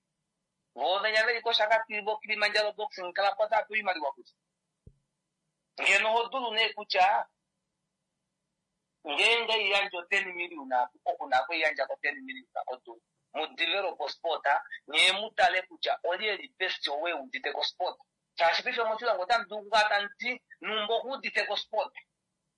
Vo venya veli koShakati vo Kilimanjaro boxing club otava pewa iimaliwa kutya. Ngeno oho dulu nee kutya ngeenge iyandja ten million oku na okuyandja ko ten million kodulu. Mu develop sport nye mu tale kutya olye li best owe udite ko sport. Shaashi paife moshilongo otamu dulu okukala tamu ti numba okuudite ko sport.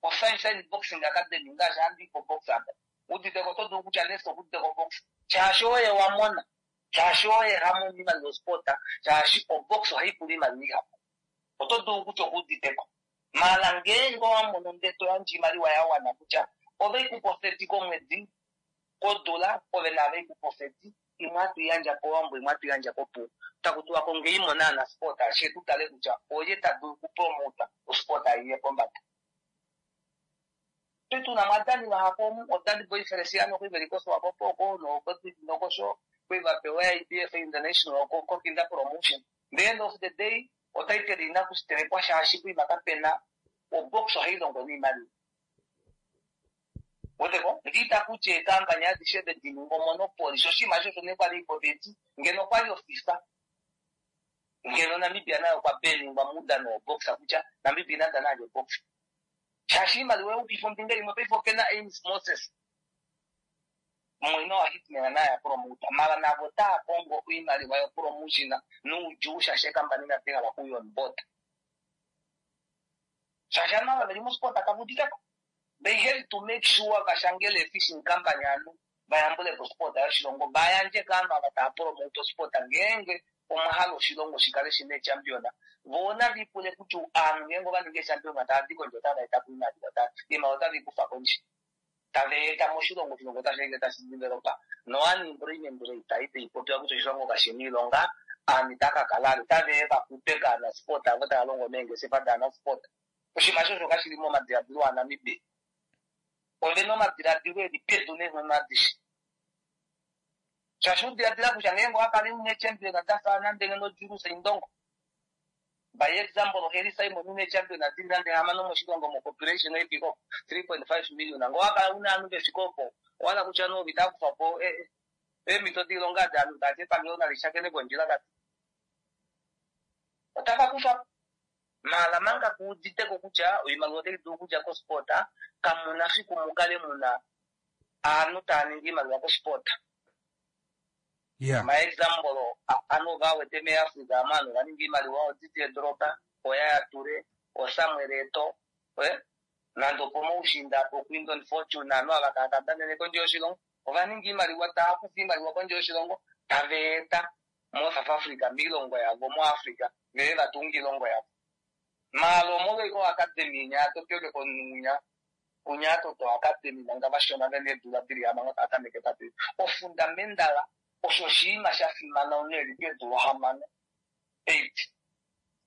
O Sunshine Boxing Academy ngaashi handi ko box apa. Udite ko oto dulu kutya next okudite ko box. Shaashi oye wa mona. Shaashi oye ha mono iimaliwa yosport. Shaashi o box ohai pula iimaliwa ihapu. Oto dulu kutya okuudite ko. Mala ngeenge owa mono ndele to yandje iimaliwa ya wana kutya ove ku po thirty komwedi kodula ove nave ku po thirty imwe atu yandja kOwambo imwe atu yandja kOpuwo. Taku tiwa ko ngee imona na sport ashe tu tale kutya oye ta dulu okupromota osport aiye pombada. Twe tuna madani vahapu omu, odani boy Feliciano kwi veli koSwapo poko, nokosho, kwi va pewa I B F International, ko, ko Kinda Promotion. The end of the day, otitle ina kusitelekwa shaashi kwi vakapena obox ohai longo niimaliwa. Weteko, ndiita kutya eekambani adishe dedininga omonopoly, sho oshinima shosho nee kwali ipopeti, ngeno okwali oFIFA. Ngeno Namibia nayo okwa beningwa muudhano woboxa kutya Namibia ina dhana nande oboxa. Shaashi iimaliwa yokupifa ombinga imwe paife opena Ames Moses. Mwene wa Hitman naye a promota. Mara navo otaya kongo iimaliwa yopromotion nuudjuu shaashi eekambani inadi hala okuya on board. Shaashi aantu ava veli mosport kavuditeko. They have to make sure vashangele fishing company anu vayambule po sport yoshilongo vayandje kaanhu ava tava promote sport ngeenge omahala oshilongo shikale shina champion. Vona vipule kutya aanhu ngeenge ova ninga champion tava di kondje otava eta po iimaliwa, ta-, iimaliwa otave i kufa kondje. Tava eta moshilongo, oshilongo otashi ende tashi developa. No unemployment rate itayi popiwa kutya oshilongo kashina iilonga, aanhu itaya ka kala alo. Otave ya va kupe kaana sport avo tava longo meengeshefa daana sport. Oshinima shosho kashili momadiladilo aNamibia. Ove na omadiladilo eli pedu neenghono adishe. Shaashi udiladila kutya ngeenge owa kala une champion da fa nande ngeno Julius Indongo. By example, Heri Simon une champion adili nande hamano moshilongo mo population yefika three point five million. Ngowakala una anu vefikopo wala kutya no vitakufapo eemhito diilonga daanhu tati epangelo nali shakene kondjila kati otava kufa mala manga kuuditeko kutya oimaliwa otai dulu okudja kosport kamuna fiku mukale muna aanhu taa ningi iimaliwa kosport. Yeah. Ma example anu vawete meAfrica amu anhu vaningi iimaliwa oDidier Drogba, oYaya Toure, oSamuel Eto'o, eh? Nande opo moushinda apo Quinton Fortune anu ava kaa kadanene kondje yoshilongo ovaningi iimaliwa taa kufa iimaliwa kondje yoshilongo tava eta mo South Africa miilongo yavo moAfrica vee vatunga iilongo yavo. Maala omolwoiko academy nya topyoke konunya kunya toto academy manga vashona vene eedula dili hamano taa tameke tati ofundamental osho oshinima sha fimana unene keedula hamano eight.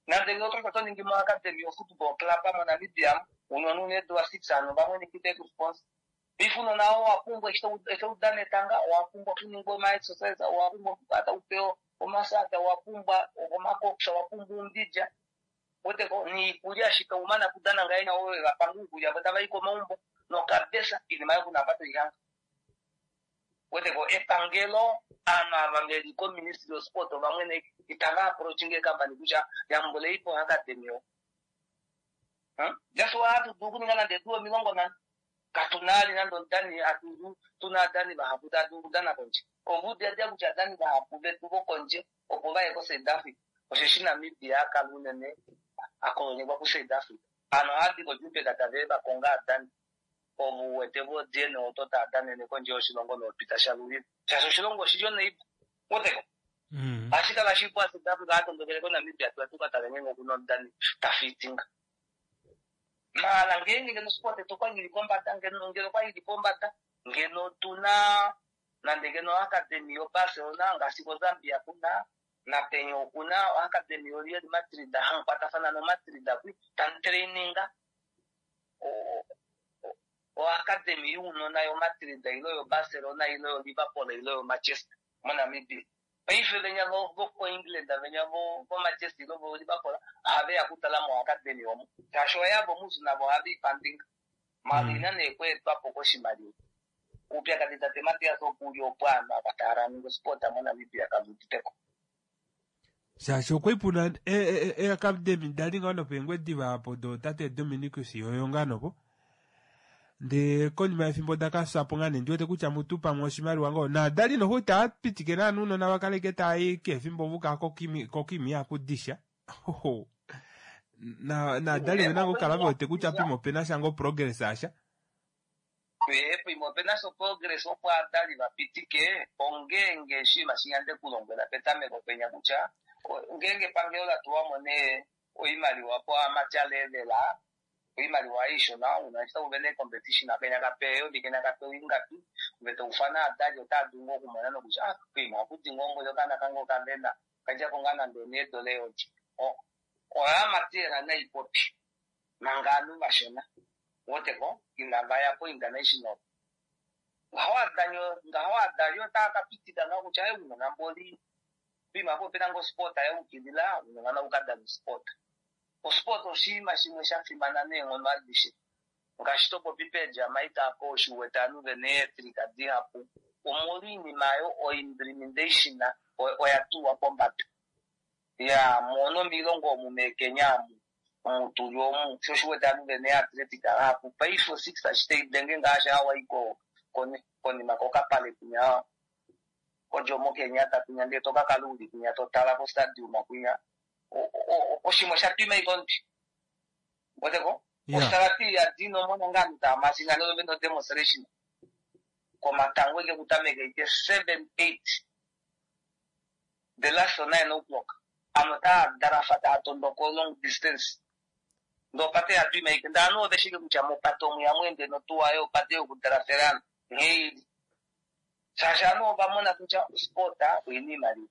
Nande ngee oto to ningi mo academy yo football club moNamibia unona une eedula six ano vamwe nikite ku sponsor. Ifuno nao wapumbwa eshi udana etanga owapumbwa okuningwa oma exercise owapumbwa okukwata upeo omasaka owapumbwa omakoksa owapumbwa umbidja weteko niikulya shika umana kudana ngaina oyo vapanga uukulya vo tava i komaumbo nokabesa inima yokunapata ihanga weteko epangelo aanhu ava veli ko ministry of sport vamwene itava approachinge company kutya yambuleipo academy yo. Hmm? Just wa hatu dulu okuninga nande eedula omilongo nhano katunali nande omudani atu tuna adani vahapu tava dulu okudana kondje ovudiadia kutya adani vahapu vetu vokondje opo vaye ko South Africa osheshi Namibia akala unene akolonyekwa ku South Africa ano ohadi koJubek tave vakonga adani ovo wete vo D N A oto taa danene kondje yoshilongo noopita shalulile shaashi oshilongo oshili oneipa woteko Mm. ohashi kala shipu a South Africa atondokele koNamibia tuya tukatale ngenge okuna omudani tafitinga maala ngeenge ngeno sport yetu okwa ili pombada ngeno ngeno okwa ili pombada ngeno tuna nande ngeno academy yo Barcelona ngaashi koZambia kuna napenya okuna academy yo Real Madrid hankwatafana no Madrid kwi tan traininga o o academy younona yo Madrid ilo yo Barcelona ilo yo Liverpool ilo yo Manchester moNamibia paife venya vo vo England venya vo vo Manchester ilo vo Liverpool ohave ya kutala mo academy omo shaashi oyavo muzu navo ohave ipandinga malina neekweetwapo koshimaliwa upyakadi tate Matias okuli opo aanhu ava tava ningi sport moNamibia kaluuditeko shaashi okwaipuna eacademy dali ngoo nopeengwediva apo do tate Dominicus yoyo ngaa nopo ndee konima yefimbo dakafyapo ngaa nee ndiwete kutya mutu pamwe oshimaliwa ngoo naadali noho itaa pitike naanhu unona vakaleke taayi kefimbo vuka kokimi akudisha hoho na naadali vena ngoo kala vewete kutya pimo opena sha ngoo progress asha pimo opena sha progress opo adali vapitike ongeenge oshinima shinyande kulombwela petameko penya kutya ngeenge epangelo latuwamo nee oimaliwa po amatya levela oimaliwa aishona una eshi tauvene competition kenya kapeyo kenya kapeyo ingapi vete ufana adali otaa dulu ngoo okumona nokutya ah kuima akudi ngoo mboli okaana kange okavena kadjako ngaa nande oneedola eyovi oyamatera naipopi manga ovanhu vashona woteko inava ya ko international ngaho adali otaa kapitika ngao kutya e unona mboli pima po opena ngoo sport yaukilila unona naukadana sport osport oshinima shimwe sha fimana neenghono adishe ngaashi topopi peeJamaica apo oshiwete ovanhu vena eefrika dihapu omolwa oinima ayo oimplementation oya tulwa pombada ya mono miilongo omu meeKenya amu omutuli omu sho oshiwete ovanhu vena eathletic vahapu paife osix ashite idenge ngaashi hawaii konima kokapale kwinya koJomo Kenyatta kwinya ndee tokakala uli kwinya totala kostadium kwinya oshimwe sha twima ikondi weteko ostalati ya dino mona ngaa taa masingano veno demonstration komatango eke kutameka ite seven eight the last nine o'clock ano taa darafa taa tondoko long distance ndopate ya twima ike ndano oveshike kutya mopate omu yamwende notuwayo opate yokudaraferana ngheili shaashi anu ovamona kutya sport oina iimaliwa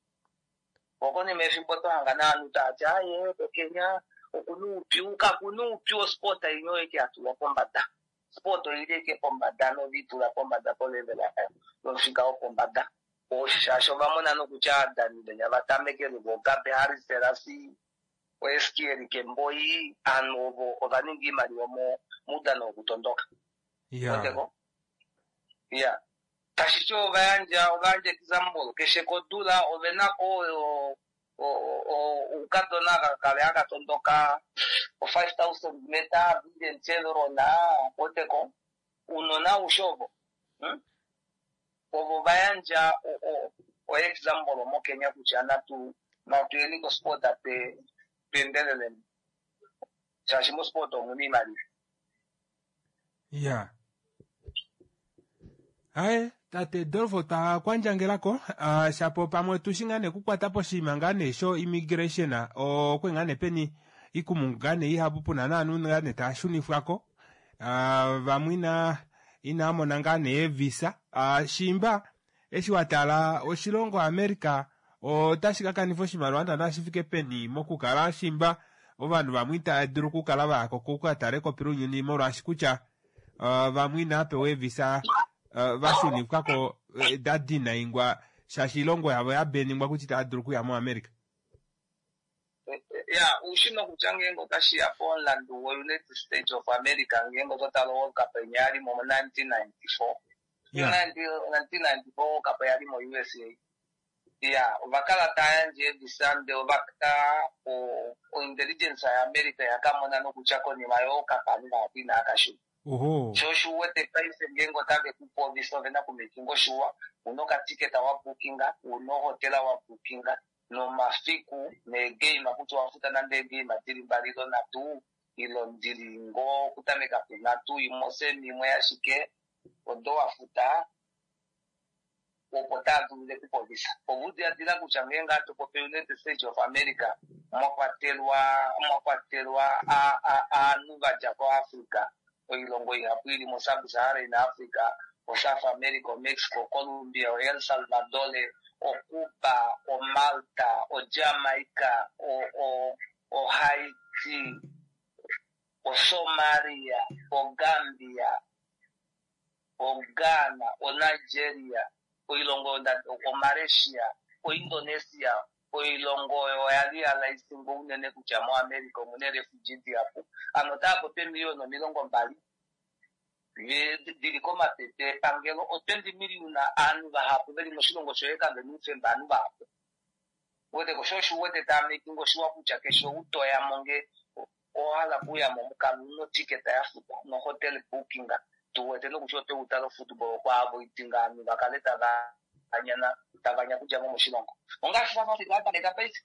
okonima efimbo tohanga naanhu taati aye koKenya okuna uupyu kakuna uupyu osport inyo eke yatulwa pombada sport oili eke pombada novitula pombada polevel yayo nofika wopombada shaashi ovamona nokutya aadani venya vatamekele voGabe Harris Serasi oEskiel Kemboi aanhu ovo ova ninga iimaliwa moudano wokutondoka. Ya. Ya. Tashi ti ova yandja ova yandja example keshe kodula ove na ko oukadona kakale haka tondoka o five thousand meter Vivian Cheverona weteko unona aushe ovo hmm? Ovo va yandja o example moKenya kutya natu natu yeni kosport pe twendeleleni shaashi mosport omuna iimaliwa. Ya. Aye, tate Dolfo ta kwandjangelako uh, shapo pamwe tushi ngaa nee kukwata poshinima ngaa nee sho immigration okwe ngaa nee peni ikumungu ngaa nee ihapu puna naanhu ngaa nee taa shunifwako uh, vamwe ina inamona ngaa nee visa uh, shimba eshi watala oshilongo America otashi ka kanifa oshimaliwa naana shi fike peni mokukala shimba ovanhu vamwe itava dulu okukala vayako kokatale kopilunyuni molwaashi kutya uh, vamwe inaapewa eevisa uh, vashunifwako uh, da dinaingwa shaashi ilongo yavo yabeningwa kutya itava dulu okuya moAmerica. Ya, ushino kutya ngeenge otashiya pomulandu wo-United States of America ngeenge ototala World Cup enya yali mo nineteen ninety-four. nineteen ninety-four World Cup yali mo U S A. Ya, ovakala tava yandje eevisa ndele ovaka o-intelligence yaAmerica yakamona nokutya konima yo-World Cup ovanhu vahapu inava ka shuna. Oho. Sho osho uwete paife ngeenge otave kupe ovisa ove na kumakinga oshuwa, una okatiketa wa bookinga, una ohotela wa bookinga, nomafiku neegame kutya owafuta nande eegame dili mbali ilo nhatu, ilo ndili ngoo okutameka punhatu, imwe osemi imwe ashike, odo wafuta opo tava dulu kupa ovisa. Ovo udiladila kutya ngeenge hatu popi United States of America mwakwatelwa mwakwatelwa aanhu vadja koAfrica, oilongo ihapu ili mo-Sub-Saharan Africa, o-South America, o-Mexico, Colombia, o-El Salvador, o-Cuba, o-Malta, o-Jamaica, o-Haiti, o-Somalia, o-Gambia, o-Ghana, o-Nigeria, oilongo o-Malaysia, o-Indonesia, oilongo oyo oya li ya laisingo unene kutya moAmerica omuna refugee dihapu. Ano otava popi emiliyoni omilongo mbali dili komapepe epangelo, o twenty million aanhu vahapu veli moshilongo shoye kave na oufemba aanhu vahapu. Weteko sho osho uwete tava making oshiwa kutya keshe ou toya mo nge owa hala okuya mo mukalo una otiketa ya futwa nohotel booking, tuwete nokutya oto utala ofootball kwaavo itinga aanhu vakale tava anyana tava nyakudja mo moshilongo. Ongaashi South Africa atameka paife.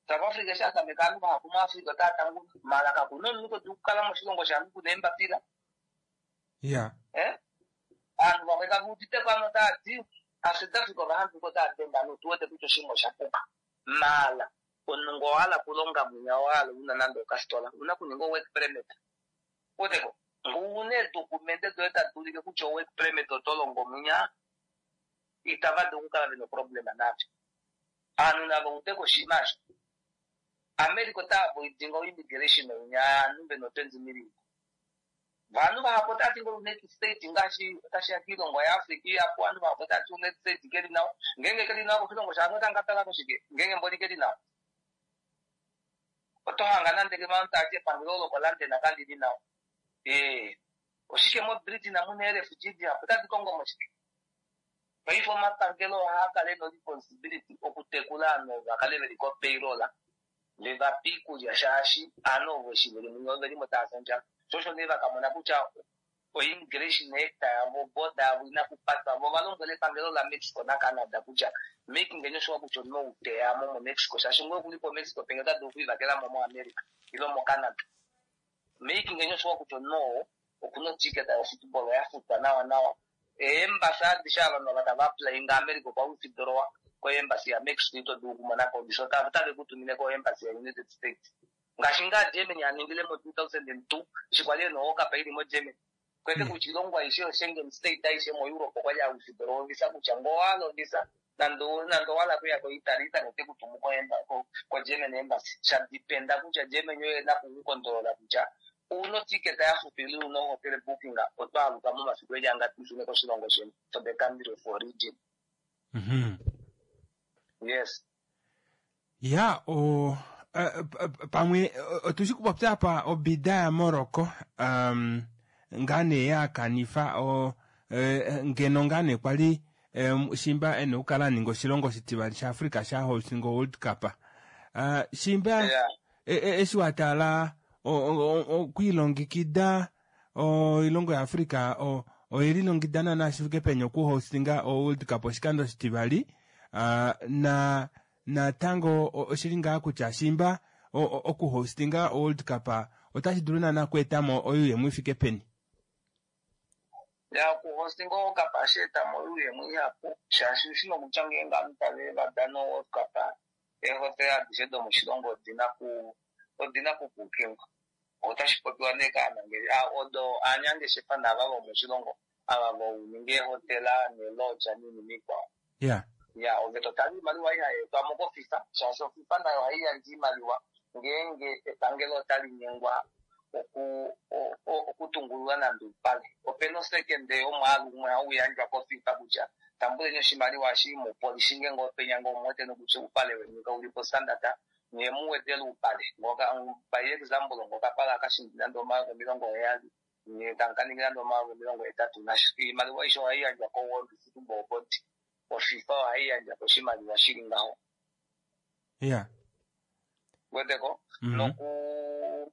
South Africa eshi atameka aanhu vahapu muAfrica otava tanguna. Mala kakuna omunhu to dulu okukala moshilongo shaanhu kuna eembapila. Ya. Eh? Aanhu vamwe kave udite ko ano otava ti, aSouth Africa ovahambuka otava denge aanhu, otu wete kutya oshinima osha puka. Mala, omunhu ngoo owa hala okulonga mwinya, owa hala una nande okastola, una okuninga o-work permit. Weteko, ngoo una eedokumente doye tadi ulike kutya o-work permit oto longo mwinya, itava dulu okukala vena oproblema navyo. Aanhu nava udeko oshinima osho. America otava voidinga o-immigration oinya aanhu vena twenty million. Vanhu vahapu otava ti ngo United States ngaashi otashi ya kiilongo yaAfrica ihapu, aanhu vahapu otava ti United States keli nawa. Ngeenge keli nawa koshilongo shaanhu otava ka tala koshike? Ngeenge mboli keli nawa. Oto hanga nande ke vanhu tava ti epangelo lokoLondon kali li nawa. Eh, oshike moBritain muna ee-refugee dihapu otadi kongo moshike? Paife omapangelo ohaa kala ena responsibility okutekula aanhu va kale veli ko-payroll, ve va pe iikulya shaashi aanhu ovo eshi veli muno oveli mo tava fi ondjala. Sho osho nee vakamona kutya o-immigration act yavo, border yavo ina kupatwa. Vo va lombwela epangelo laMexico naCanada kutya making sure kutya omunhu ou teya mo moMexico, shaashi ngoo okuli poMexico penge ota dulu okwiivakela mo moAmerica ilo moCanada. Making sure kutya omunhu oo okuna otiketa yofootball ya futwa nawa nawa. Eembasi adishe ovanhu ava tava applyinga America okwa withdrawa koembasi yaMexico ito dulu okumona ko visa, otave ku tumine koembasi yaUnited States. Ngaashi ngaa Germany a ningile mo two thousand and two, eshi kwali ena World Cup ili moGermany. Kwete kutya oilongo aishe yoSchengen state aishe moEurope okwali a withdrawa ovisa kutya ngoo owa hala ovisa, nande nande owa hala okuya koItaly, Italy ote ku tumu ko-German embassy. Sha dependa kutya Germany oye ena okukondolola kutya una otiketa ya futwa ile una hotel booking, oto aluka momafiku eli angapi ushune koshilongo sheni for the country of origin. Mm-hmm. Yes. Ya, o, Pamwe otushi kupopya apa obida ya Morocco um, ngaa nee yakanifa o ngeno ngaa nee kwali shimba ene okukala aninga oshilongo oshitivali shaAfrica sha hostinga World Cup. Uh, shimba eshi watala okwiilongekida oilongo yaAfrica oyelilongekida naana shifike peni okuhostinga o World Cup oshikando oshitivali, uh, na natango oshili ngaa kutya shimba okuhostinga World Cup otashi dulu naana okweetamo oyuuyemo ifike peni? Ya, okuhostinga World Cup ohashi etamo oyuuyemo ihapu, shaashi ushina okutya ngeenge ovanhu tave vadana World Cup eehotela adishe domoshilongo odina ku odina kukukingwa. Otashi popiwa nee kaanangeshefa odo aanyangeshefa naava vomoshilongo ava vouninga eehotela neelodja noinima ikwao. Ya. Ya, ove totala oimaliwa ihayeetwamo koFIFA, shaashi oFIFA nayo ohai yandje oimaliwa ngeenge epangelo otali nyengwa oku okutungulula nande oupale. Opena osekende yomwaalu umwe hau yandjwa koFIFA kutya tambuleni oshimaliwa eshi mupolishinge ngoo penya ngoo muwete nokutya oupale weni kauli po standard nye muwedele oupale. Ngoka by example ngoka pala kashindi nande omayovi omilongo heyali nye tamu nande omayovi omilongo hetatu nasha. Iimaliwa aishe ohai yandjwa ko World Football Board. OFIFA ohai yandja ko oshimaliwa shili ngaho. Ya. Weteko? Noku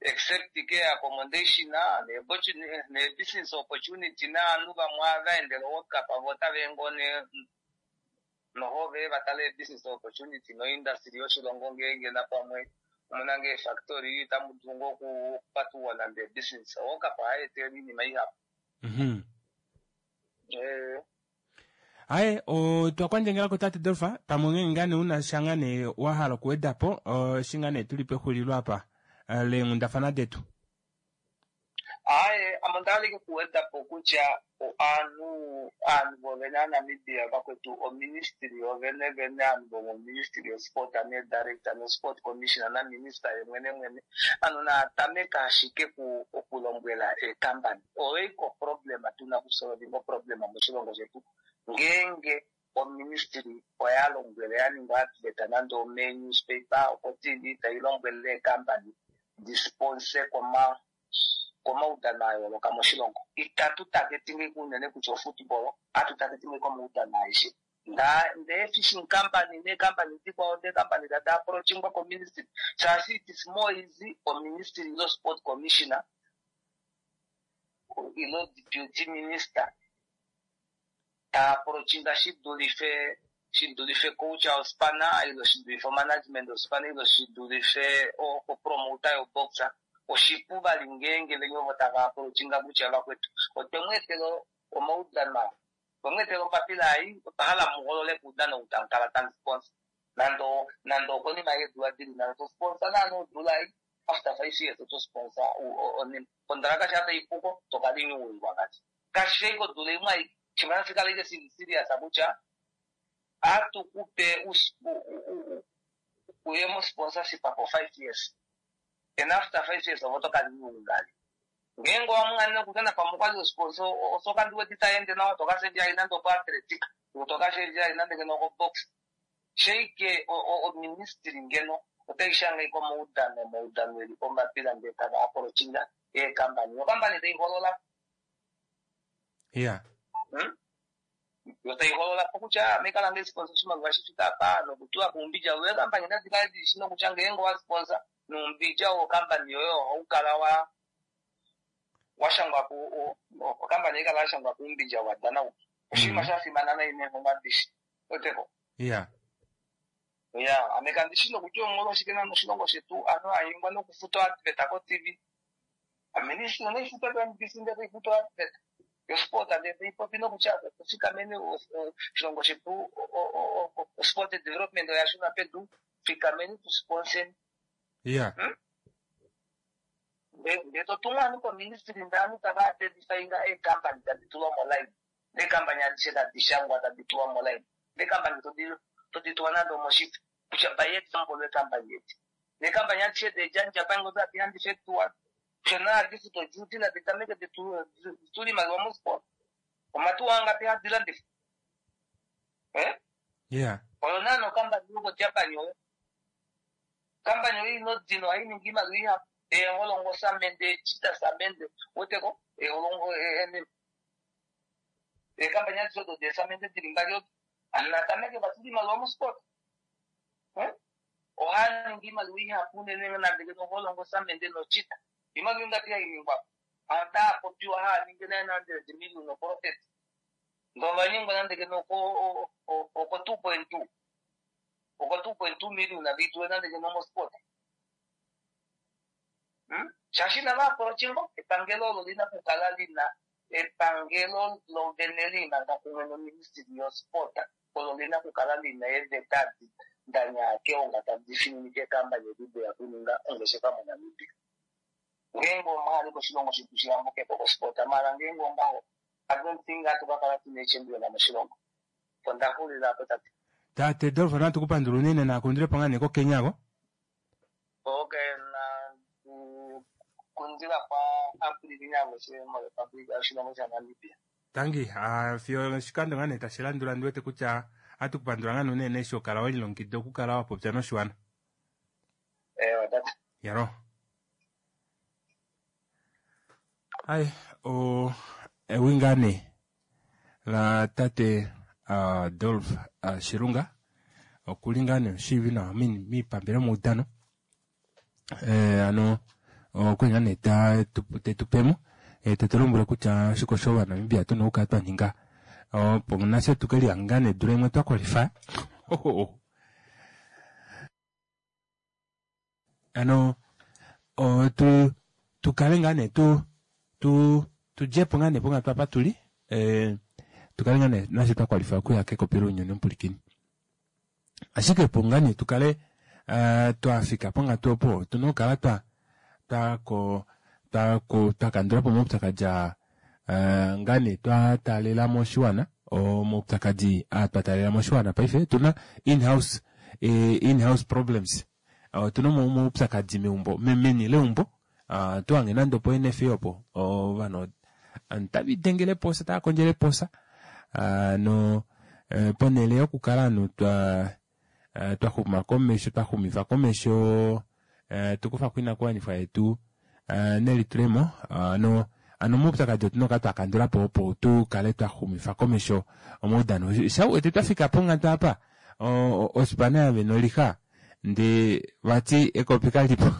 except ke accommodation ne business opportunity naanhu vamwe avaendele World Cup avo otava ngoo ne noho ve vatale business opportunity no industry yoshilongo ngeenge napamwe omuna ngee factory itamu dulu ngoo okupatuwa nande business. World Cup ohai etele iinima ihapu. Mhm. Eh. Aye, otwa kwandjangela tate Dolfa, pamwe ngeenge ngaa nee una sha ngaa nee wa hala okuwedapo, eshi ngaa nee tuli pexulilo apa leenghundafana detu. Aye, ame onda kuwedapo kutya aanhu aanhu vovene aNamibia vakwetu oministry yovene vene aanhu vomoministry yosport ne director no sport commissioner na minister yemwene mwene anu naatameka ashike okulombwela eekampani. Oyo problem tuna kusolvinga problem moshilongo shetu. Ngeenge oministry oya lombwele ya ningwa advert nande ome newspaper oko T V tai lombwele eekampani disponsor koma komaudano a yooloka moshilongo. Itatu targetinge unene kutya ofootball, atu targetinge komaudano aeshe. Ndee fishing company neekampani dikwao deekampani tadi approachingwa koministry, shaashi it is more easy oministry ilo sport commissioner ilo deputy minister ta approachinga shidulife shidulife coach ospana ilo shidulife management ospana ilo shidulife opromoter yoboxer. Oshipu vali ngeenge venye ovo tava approachinga kutya vakwetu otwe mu etela omaudano, otwe mu etela ombapila ei, otwa hala muholole kuudano ou tamu kala tamu sponsor. Nande nande okonima yeedula dili nhano to sponsor naana odula ei, after five years oto sponsor kondaraka sha taipuko tokalinewingwa ngati. Kashi fi kodula imwe aike, shimwe nashi kale ike serious kutya atukupe uye mo sponsorship for five years. And after five years ovo tokalinewinga. Ngeenge wamungane nokutya napamwe okwali osponsor osoka ndiwete itaende nawa tokashendja nande oko athletic, tokashendja nande ngeno oko box. Sheike oministry ngeno otai shanga komaudano, omaudano eli ombapila ndee tava approachinga eekampani. Okampani tai holola. Ya. Yo tai holola po kutya mekala nge sponsor oshimaliwa shi fika apa nokutula kuumbidja woye. Eekampani nadi kale dili shi nokutya ngeenge wa sponsor nuumbidja wokampani yoye ohau kala wa washangwa ku okampani ikala yashangwa kuumbidja wa dana. Oshinima sha fimana nayi neenghono adishe. Oteko. Ya. Ya, ame kandi shi nokutya omolwashike nande oshilongo shetu aanhu anyengwa nokufuta advert ko T V. Aministry onaifuta ko M B C ndee taifuta advert. Yo sport ndee taipopi nokutya fikameni oshilongo shetu sport development oya shuna pedu, fikameni tu sponsor. Ya. Ndee totumwa aanhu koministry ndee aanhu tava identifyinga eekampani tadi tulwa moline. Neekampani adishe tadi shangwa tadi tulwa moline. Neekampani todi tulwa nande omoshifo kutya by example ekampani yetu. Neekampani adishe dejanja pango tadi handishe tuwa. Kutya naadifuta duty naditameke ditule imaliwa mosport. Omatuwa angapi hadi Eh? Yeah. Oyo naana okampani yoko Japan oyo. Kampani oyo inodino ohayi ningi iimaliwa ihapu eholongo samende echita samende weteko eholongo eekampani adishe odo deesamende dili mbali odo anatameke vatula iimaliwa mosport ohaningi iimaliwa ihapu unene nandeke noholongo samende nochita iimaliwa ingapi hainingwa ata popiwa haningi nine hundred million oprofit ndovanyingwa nandeke noko oko two point two oko two point two million avituwe nandeke nomosport shaashi inavaapolochingo epangelo olo lina kukala lina epangelo lovene lina kumwe noministry yosport olo lina kukala lina eeveta danyake onga tadi fininike ekambani edi deya kuninga ongeshefa moNamibia. Ngeenge omwali koshilongo shetu shiyambukepo kosport mara ngeenge ongaho I don't think hatu kakala tuna echampion moshilongo. Ondaxulila apo tate. Tate Dolph natu kupandula unene nakundile po ngaa nee koKenya ko. Okay, na kundila kwa Aprili nyangoshe moRepublic yoshilongo shaNamibia. Tangi, ah, fiyo oshikando ngaa nee tashi landula ndi wete kutya hatu kupandula ngaa nee unene eshi okala welilongekida okukala wa popya noshiwana. Ewa tate. Yaro. Ai, o ewi ngaa nee la tate uh, Dolph uh, Shilunga okuli ngaa nee omushiivi nawa miipambele yomaudano eh, ano okwali ngaa nee tetu pemo tetu lombwele kutya oshike osho ovanamibia tuna okukala twa ninga opo nafye tukelihanga ngaa nee dula imwe twa qualify. Ano tu tukale ngaa nee tu tu tudjepo ngaa nee ponghatu apa tuli eh, tukale ngaa nee nafye twa qualify okuya kekopi lounyuni omupulikini. Ashike opo ngaa nee tukale uh, twafika ponghatu opo otuna okukala twa twako twako twakandulapo omaupyakadi aa uh, ngaa nee twa taalela moshiwana omaupyakadi aa twa taalela moshiwana paife otuna in-house eh, in-house problems otuna omaupyakadi meumbo meni leumbo uh, tuhange nande opo N F A opo ovanhu tava posa tava kondjele posa uh, no uh, ponele yokukala ovanhu twa uh, twaxuma komesho twaxumifa komesho uh, tukufa koinakuwanifwa yetu uh, nelitulemo uh, no ano omaupyakadi otuna okukala twakandulapo opo tukale twaxumifa komesho omaudano. Shauwete twafika ponghatu apa ospana yavena olixa ndee vati ekopi kalipo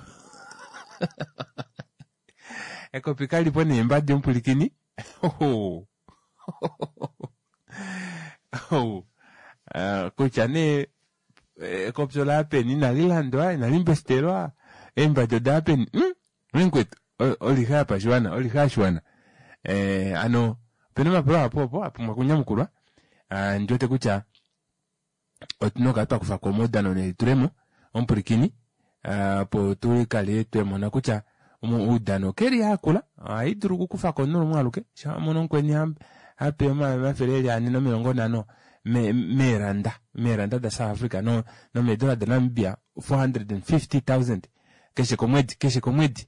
ekopi kalipo neembadi omupulikini kutya nee ekopi ola peni inali landwa inali mbestelwa eembadi oda peni mwenkwetu olixa yapashiwana olixa yashiwana eh, ano opena omapulo apo opo apumbwa kunyamukulwa ndiwete kutya otuna okukala twakufako omaudano nelitulemo omupulikini opo tukale twemona kutya oudano keli akula ohaidulu okukufako omunhu lumwe aluke shawamono omukweni hape omafele eli ane nomilongo nhano meeranda meeranda da South Africa no nomeedola da Namibia four hundred and fifty thousand keshe komwedi keshe komwedi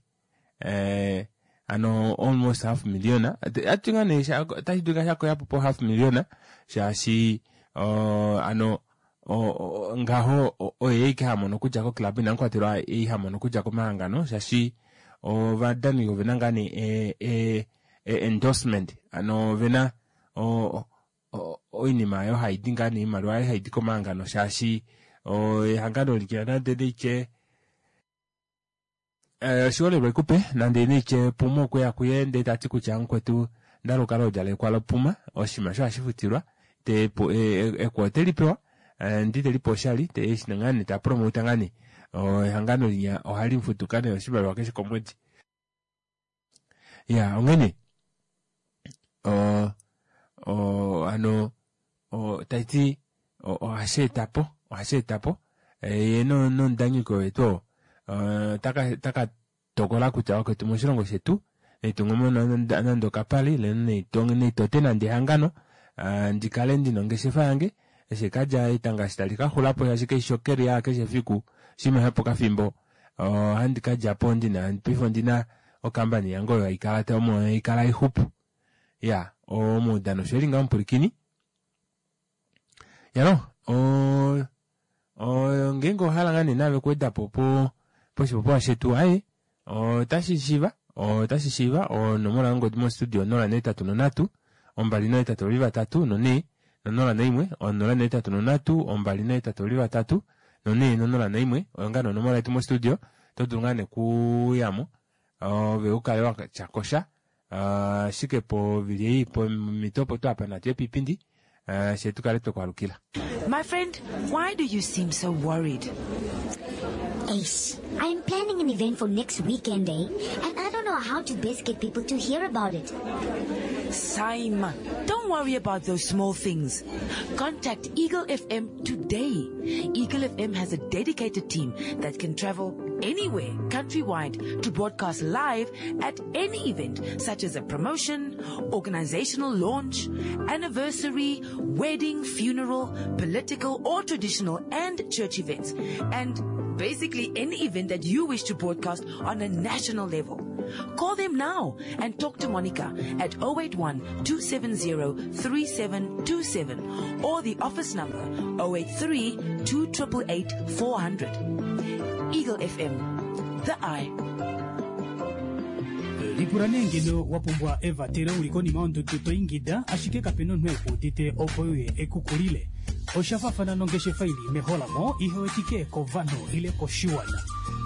eh, ano almost half million atinga nee otashi dulika shakoyapo po half million shaashi uh, ano o, ngaho oye ike hamono okudja koclub inamukwatelwa ei hamono okudja komahangano shaashi ovadani ovena ngaa nee e, e, endorsement ano ovena oinima oyo haidi ngaa nee oimaliwa ayo haidi komahangano shaashi ehangano likila nande neitye oshiholelwa ikupe nande neitye Puma okweya kuye ndee tati kutya mukwetu ndalukala odjalekwa lopuma oshinima osho hashi futilwa te eko otelipewa ndi telipe oshali te ngaa nee tapromota ngaa nee ehangano linya ohali mufutuka nee oshimaliwa keshe komwedi. Ya onghene o o ano taiti ohashi etapo ohashi etapo ye nomudanyiko wetu oo taka tokola kutya wakwetu moshilongo shetu naitungumo nande okapale ile naitote nande ehangano ndikale ndina ongeshefa yange eshi kadja etanga eshi tali kaxulapo shaashi kaishi okeria keshe efiku oshinima shopokafimbo ohandi kadjapo ndina paife ondina okampani yange oyo haikala omo haikala ixupu. Ya omaudano osho eli ngaho omupulikini yalo o Ngeenge owahala ngaa nee naave okuwedapo po poshipopiwa shetu aaye otashi shiiva otashi shiiva onomola yongodi mostudio onola nohetatu nonhatu ombali nohetatu ovali vatatu nonhee nonola noimwe onola nohetatu nonhatu ombali nohetatu ovali vatatu nonhee nonola noimwe oyo ngaa nee onomola yetu mostudio oto dulu ngaa nee okuyamo ove ukale watyakosha ashike povili ei pomito opo twapa natu ye piipindi fyee tukale twekwaalukila. My friend, why do you seem so worried? Ace, I'm planning an event for next weekend, eh? And I don't know how to best get people to hear about it. Saima, don't worry about those small things. Contact Eagle F M today. Eagle F M has a dedicated team that can travel anywhere countrywide to broadcast live at any event, such as a promotion, organizational launch, anniversary, wedding, funeral, political or traditional and church events, and basically any event that you wish to broadcast on a national level. Call them now and talk to Monica at oh eight one, two seven zero, three seven two seven or the office number oh eight three, two triple eight, four hundred. Eagle F M, the eye. Lipula nee ngeno wa pumbwa evatelo uli konima yondudu to ingida, ashike kapena omunhu ekuudite opo uye ekukulile. Osha faafana nongeshefa ili meholamo ihe wetike kovanhu ile koshiwana.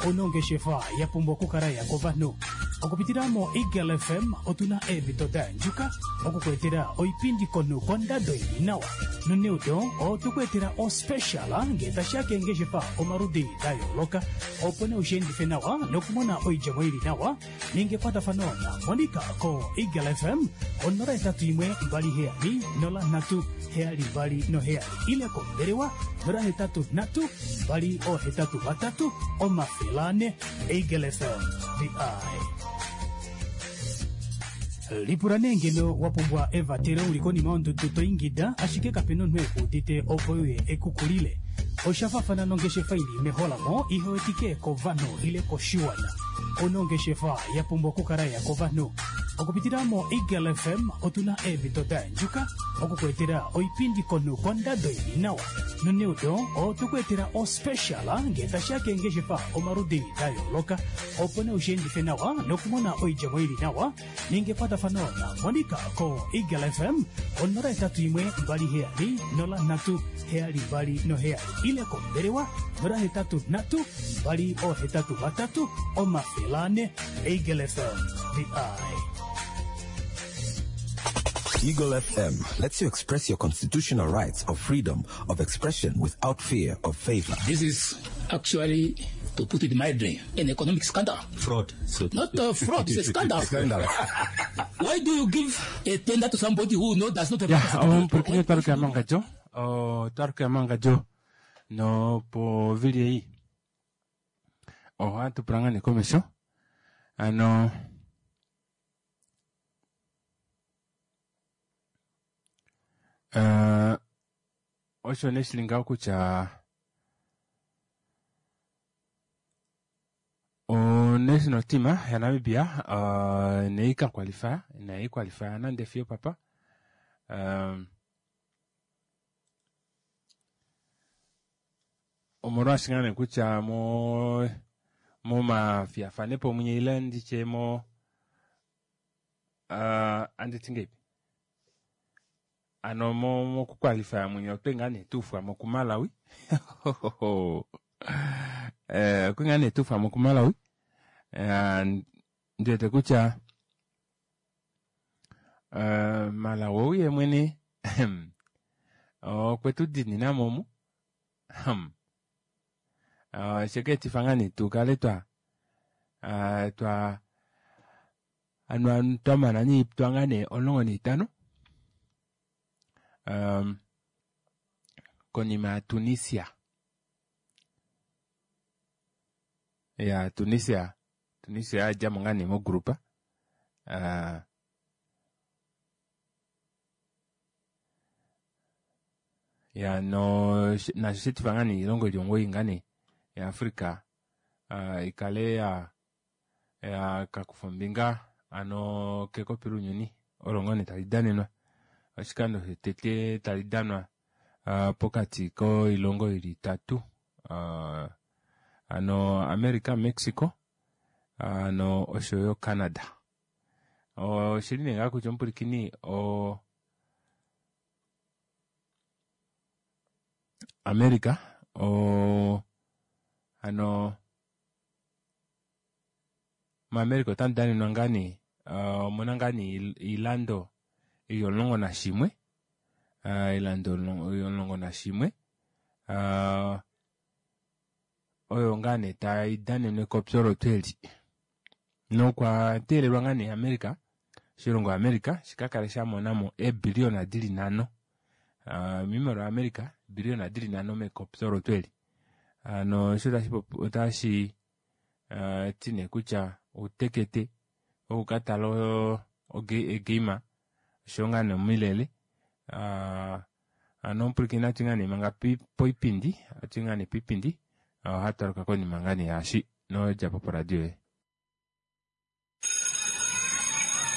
Onongeshefa ya pumbwa okukala ya kovanhu. Okupitila mo Eagle F M otuna eemhito da yandjuka okukuetela oipindi komunhu kondado ili nawa. Noneudo otukuetela ospecial ngee tashiya keengeshefa omaludi da yooloka, opo nee ushiendife nawa nokumona oidjemo ili nawa. Ninga ekwatafano na Monica ko Eagle F M onola etatu imwe mbali heyali nola nhatu heyali mbali noheyali ile kombelewa nola hetatu nhatu mbali ohetatu vatatu omafele ane. Eagle F M, the eye. Lipula nee ngeno wa pumbwa evatelo uli konima yondudu to ingida, ashike kapena omunhu ekuudite opo uye ekukulile. Osha faafana nongeshefa ili meholamo ihe wetike kovanhu ile koshiwana. Onongeshefa ya pumbwa okukala ya kovanhu. Okupitila mo Eagle F M otuna eemhito da yandjuka okukuetela oipindi komunhu kondado ili nawa. Noneudo otukuetela ospecial ngee tashiya keengeshefa omaludi da yooloka, opo nee ushiendife nawa nokumona oidjemo ili nawa. Ninga ekwatafano na Monica ko Eagle F M onola etatu imwe mbali heyali nola nhatu heyali mbali noheyali ile kombelewa nola hetatu nhatu mbali ohetatu vatatu omafele ane. Eagle F M, the eye. Eagle F M lets you express your constitutional rights of freedom of expression without fear of favor. This is actually, to put it mildly, an economic scandal. Fraud. So Not a fraud, it's a scandal. Scandal. Why do you give a tender to somebody who no, does not have Ya, capacity? omupulakeni otwaluka mangadjo. Otwaluka mangadjo. No po vili ei. Ohatu pula ngaa nee komesho. Ano Uh, osho nee shili ngaho kutya o national team ya Namibia, uh, nei ka qualify, nei qualify nande fiyo papa. Um, omolwaashi ngaa nee kutya mo, momafiyafanepo munye ile nditye mo, uh, anditi ngeipi? Ano mo, mokuqualify munye otwe ngaa nee tufwa mo kuMalawi. Eh, okwe ngaa nee tufwa mo kuMalawi. Eh, ndiwete kutya, eh, Malawi ou ye mwene, okwe tu dinina momu. Hmm. Eh, sheke etifa ngaa nee tu kale twa, eh, twa, ano, twa mana niitwa ngaa nee omulongo niitano. Um, konima ya Tunisia. Ya Tunisia, Tunisia ya mo ngaa nee mogrupa. Uh, ya no, nasho shetifa ngaa nee iilongo ili omugoyi ngaa nee ya Afrika, uh, ikale ya, ya kakufa ombinga ano kekopi lunyuni olo ngaa nee tali danenwa. Oshikando shetete tali danwa, uh, pokati koilongo ili itatu Uh, ano America, Mexico ano oshoyo Canada. Oshili nee ngaa kutya omupulikini o America o ano moAmerica otamu danenwa ngaa nee uh, omuna ngaa nee iilando ili omulongo nashimwe uh, iilando omulongo nashimwe uh, oyo ngaa nee tayi danenwe kopyo olo eli nokwa teelelwa ngaa nee America, oshilongo America shika kale sha monamo eebiliona dili nhano uh, miimaliwa America eebiliona dili nhano mekopyo olo eli. Ano osho tashi otashi uh, ti nee kutya utekete okukatala egame oshoyo ngaa nee omilele uh, ano omupulikini atu ngaa nee manga poipindi atu ngaa nee poipindi ohatu aluka konima ngaa nee yaashi nodjapo poradio yoye.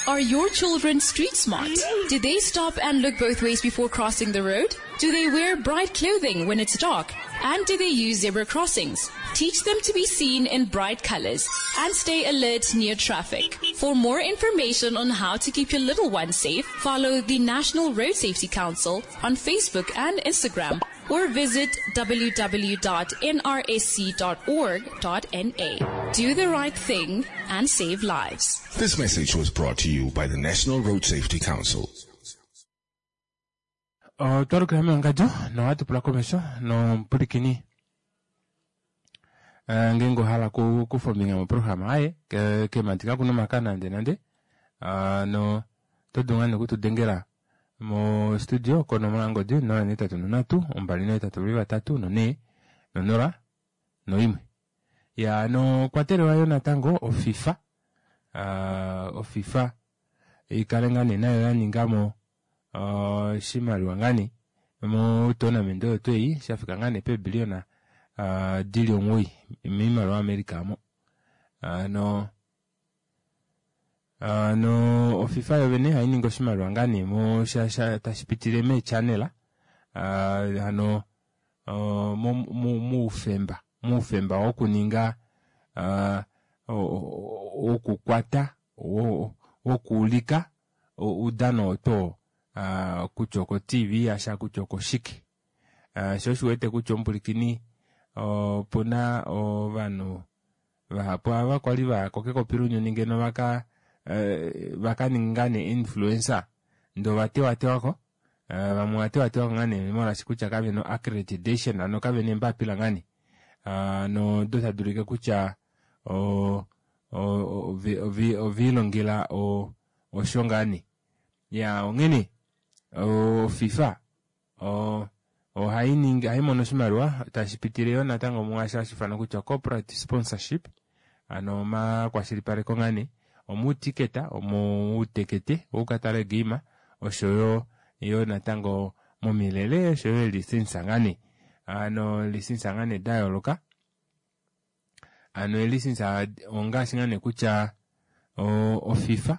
Are your children street smart? Do they stop and look both ways before crossing the road? Do they wear bright clothing when it's dark? And do they use zebra crossings? Teach them to be seen in bright colors and stay alert near traffic. For more information on how to keep your little ones safe, follow the National Road Safety Council on Facebook and Instagram or visit w w w dot n r s c dot org dot n a. Do the right thing and save lives. This message was brought to you by the National Road Safety Council. Otwalukila mewangadjo nohatu pula komesho nomupulikini ngeenge ohala kufa ombinga moprograma aye kemati kakuna omaka nande nande no oto dulu ngaa nee okutudengela mo studio konomola yongodi nola neetatu nonhatu ombali nohetatu vavali vatatu nonhee nonola noimwe. Ya nokwatelwa yo natango oFIFA uh, oFIFA ikale ngaa nee nayo yaningamo oshimaliwa ngaa nee mo tournament oyo tweyi shafika ngaa nee peebiliona uh, dili omuwoi miimaliwa America mo. Ano ano oFIFA yovene hayi oshimaliwa ngaa nee mo sha sha tashi pitile meechannel uh, ano uh, muufemba muufemba wokuninga uh, wokukwata wokuulika uudano oto uh, kutya oko T V asha kutya oko shike. Uh, sho oshiwete kutya omupulikini opuna ovanhu vahapu ava kwali vaya ko kekopi lounyuni ngeno vaka uh, vakaninga nee influencer ndo vatewatewako uh, vamwe vatewatewako ngaa nee molwaashi kutya kavena accreditation ano kavena eembapila ngaa nee uh, no do tadulike kutya o oviilongela osho ngaa nee ya onghene oFIFA ohayi ningi ohayi mono oshimaliwa tashi pitile yo natango mwaasho hashi ifanwa kutya corporate sponsorship ano omakwashilipaleko ngaa nee omuutiketa omuutekete wokukatala egame oshoyo yo natango momilele oshoyo elisensa ngaa nee ano lisensa ngaa nee da yooloka ano elisensa ongaashi ngaa nee kutya oFIFA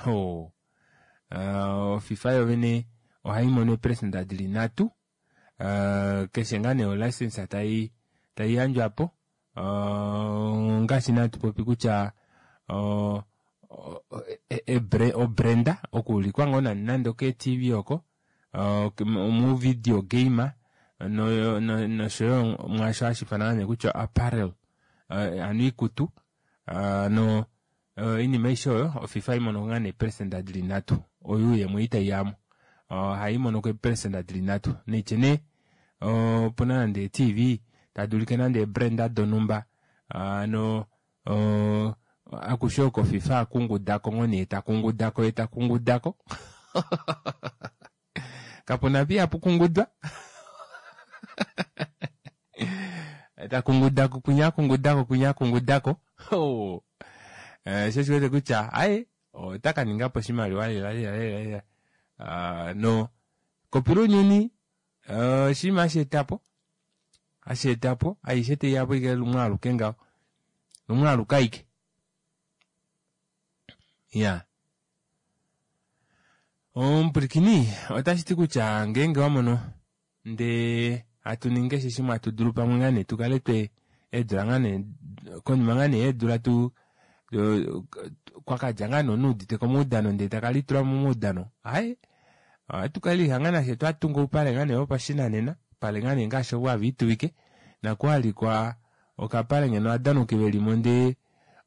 o oFIFA yovene ohayi mono eeperesenda dili nhatu uh, keshe ngaa nee olicense tayi tayi yandjwapo uh, ngaashi nee hatu popi kutya uh, obrenda okuulikwa ngoo nande nande oke T V oko uh, mu video game no noshoyo mwaasho hashi ifanwa nee kutya apparel uh, ano iikutu uh, no iinima aishe oyo oFIFA imono ngaa nee eeperesenda dili nhatu oyo yemwe itayi yamo ohayi mono ko eeperesenda dili nhatu neitye nee opuna nande T V tadulike nande eebrenda donumba ano akushe oko FIFA akungudako ngoo nee takungudako ye takungudako kapuna pi apukungudwa takungudako kunya akungudako kunya akungudako oh sho shiwete kutya aye otaka ningapo oshimaliwa lela lela lela uh, no kopi lounyuni oshinima hashi etapo hashi etapo aishe teiyapo ike lumwe aluke ngaho lumwe aluke aike ya omupulikini otashi ti kutya ngeenge wamono ndee Hatu ningi keshe shimwe hatu dulu pamwe ngaa nee tukale twe eedula ngaa nee konima ngaa nee yeedula tu kwakadja ngaa nee omunhu eudite komaudano ndee taka litulamo momaudano aaye ohatu kala lihanga nafye twatunga oupale ngaa nee vopashinanena oupale ngaa nee ngaashi ovo hava ituvike nakuhalikwa okapale ngeno ovadanuki velimo ndee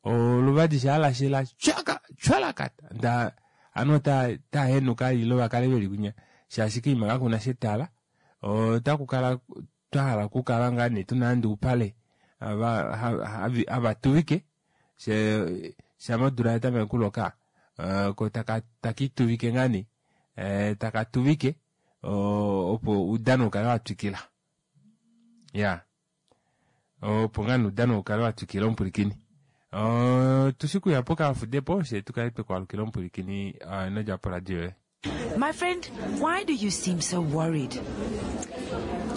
oluvadi shaa lashela tyaka tyalakata ndaa ovanhu ota henuka ile vakale veli kwinya shaashi koima kakuna etala otakukala twahala okukala ngaa nee tuna nande oupale hava tuvike shama odula yatameke okuloka ko takiituvike ngaa nee taka tuvike opo oudano ukale watwikila iyaa opo ngaa nee oudano ukale watwikila omupwilikini tushi kuya pokafudepo fyee tukale twekwaalukila omupwilikini inodja poradio yoye. My friend, why do you seem so worried?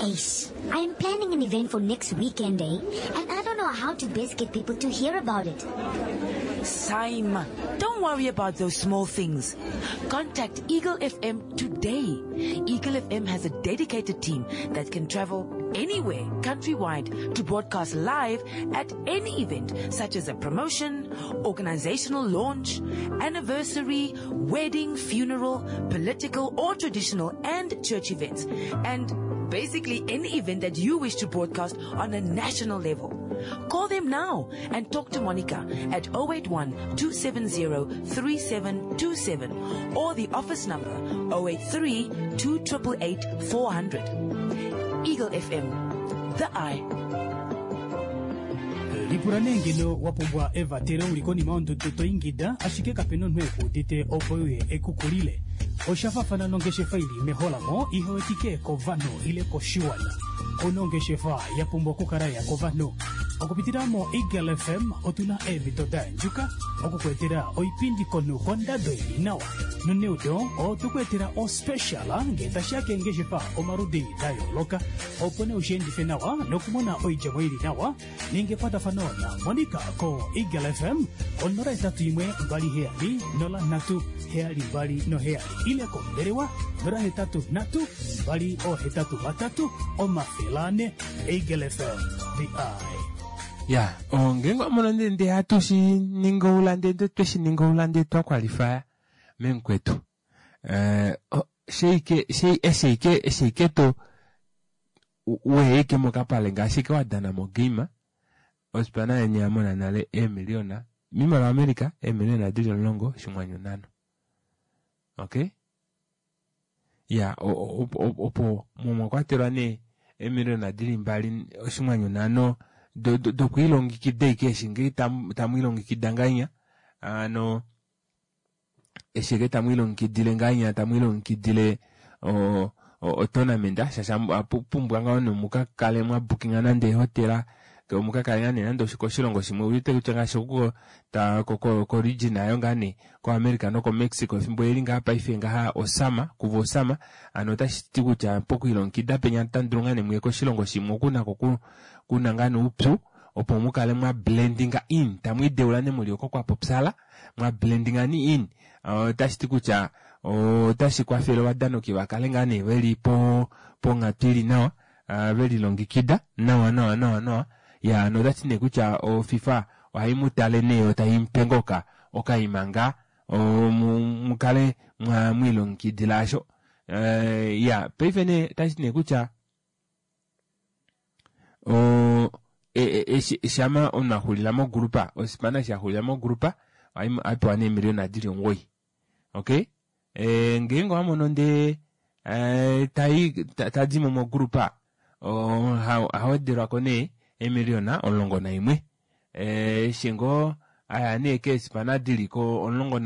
Ace, I am planning an event for next weekend, eh? And I don't know how to best get people to hear about it. Saima, don't worry about those small things. Contact Eagle F M today. Eagle F M has a dedicated team that can travel anywhere, countrywide, to broadcast live at any event, such as a promotion, organizational launch, anniversary, wedding, funeral, political or traditional and church events, and basically any event that you wish to broadcast on a national level. Call them now and talk to Monica at oh eight one, two seven zero, three seven two seven or the office number oh eight three, two triple eight, four hundred. Eagle F M, the eye. Lipula nee ngeno wa pumbwa evatelo uli konima yondudu to ingida, ashike kapena omunhu ekuudite opo uye ekukulile. Osha faafana nongeshefa ili meholamo ihewetike kovanhu ile koshiwana. Onongeshefa ya pumbwa okukala ya kovanhu. Okupitila mo Eagle F M otuna eemhito da yandjuka okukwetela oipindi komunhu kondado ili nawa. Noneudo otukwetela ospecial ngee tashiya keengeshefa omaludi da yooloka, opo nee ushiendife nawa nokumona oidjemo ili nawa. Ninga ekwatafano na Monica ko Eagle F M onola etatu imwe mbali heyali nola nhatu heyali mbali noheyali ile kombelewa nola hetatu nhatu mbali ohetatu vatatu omafele ane. Eagle F M, the eye. Ya, ngeenge wamono ndee ndee hatu shi ninga oulande, ndee twe shi ninga oulande twa qualifya memukwetu. Eh, sheike, shei, esheike, esheike to weike mokapale ngaashi ke wadana mogame, ospana yeni yamona nale eemiliona, miimaliwa America, eemiliona dili omulongo oshinghwanyu nhano. Okay? Ya, opo mwa kwatelwa nee eemiliona dili mbali oshinghwanyu nhano dokwiilongekida ike eshi ngee tamwiilongekida ngahenya, ano eshi ike tamwiilongekidile ngahenya, tamwiilongekidile otournament, shaashi apumbwa ngaho nomukakale mwa bookinga nande ehotela, omukakale ngaa nee nande koshilongo shimwe, uwete kutya ngaashi oko ta ko region ayo ngaa nee ko America noko Mexico efimbo eli ngaa paife ngaha osama, kuva osama, ano otashi ti kutya pokwiilongekida penya tandulu ngaa nee muye koshilongo shimwe okuna ko kuna ngaa nee upyu, opo mukale mwa blendinga in, tamwiideula nee muli oko kwa popyala, mwa blendinga ni in, otashi ti kutya otashi kwafele ovadanoki vakale ngaa nee veli po ponghatu ili nawa, velilongekida nawa nawa nawa nawa. Ya, notati nee kutya o FIFA ohayi mu tale nee yo tayi mupe ngoka okaima ngaa, mukale mwa mwiilongekidila asho. Ya, paife nee otashi ti nee kutya o shama omunhu axulila mogrupa, osipana eshi axulila mogrupa, ohapewa nee eemiliona dili omugoyi. Okay? Ngeenge owamono ndee tadimo mogrupa, ohawedelwako nee eemiliona omulongo naimwe. Eshi ngoo aya nee keesipana diliko omulongo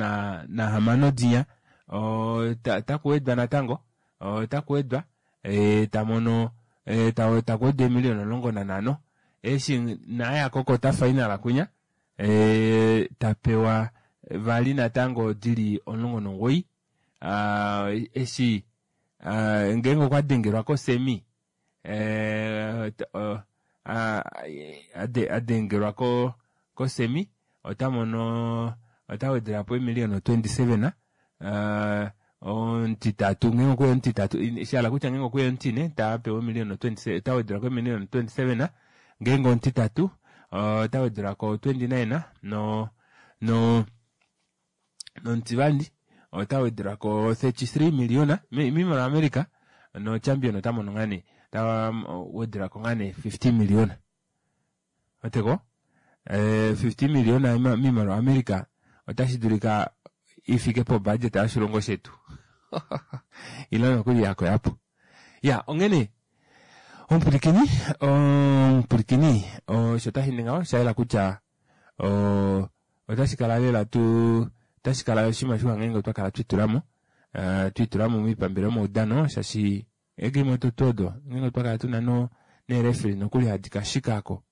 nahamano dinya, otakuwedwa natango, otakuwedwa, tamono takuwedwa eemiliona omulongo nanhano. Eshi naaya kokota final kwinya, tapewa vali natango dili omulongo nomugoyi. Eshi ngeenge okwa dengelwa kosemi, adengelwa kosemi, otamono otawedelapo eemiliona twenty-seven, Omutitatu ngeenge okweya omutitatu, shahala kutya ngeenge okweya omutine tapewa omiliyona ota wedelwako emiliyona twenty seven, ngeenge omutitatu ota wedelwako twenty nine, no no nomutivali ota wedelwako thirty three million miimaliwa America, no champion ota mono ngaa nee ta wedelwako ngaa nee fifty million. Oteko fifty million miimaliwa America otashi dulika ifike po budget yoshilongo shetu. Ilo nokuli yako yapo. Ya, ongene omupulikini, omupulikini osho tashi ninga osha yela kutya otashi kala lela tu otashi kala oshinima shiwa ngeenge otwa kala twitulamo twitulamo moipambele yomaudano, shaashi eegame odo tuu odo ngeenge otwa kala tuna no neereferi nokuli hadi kashikako,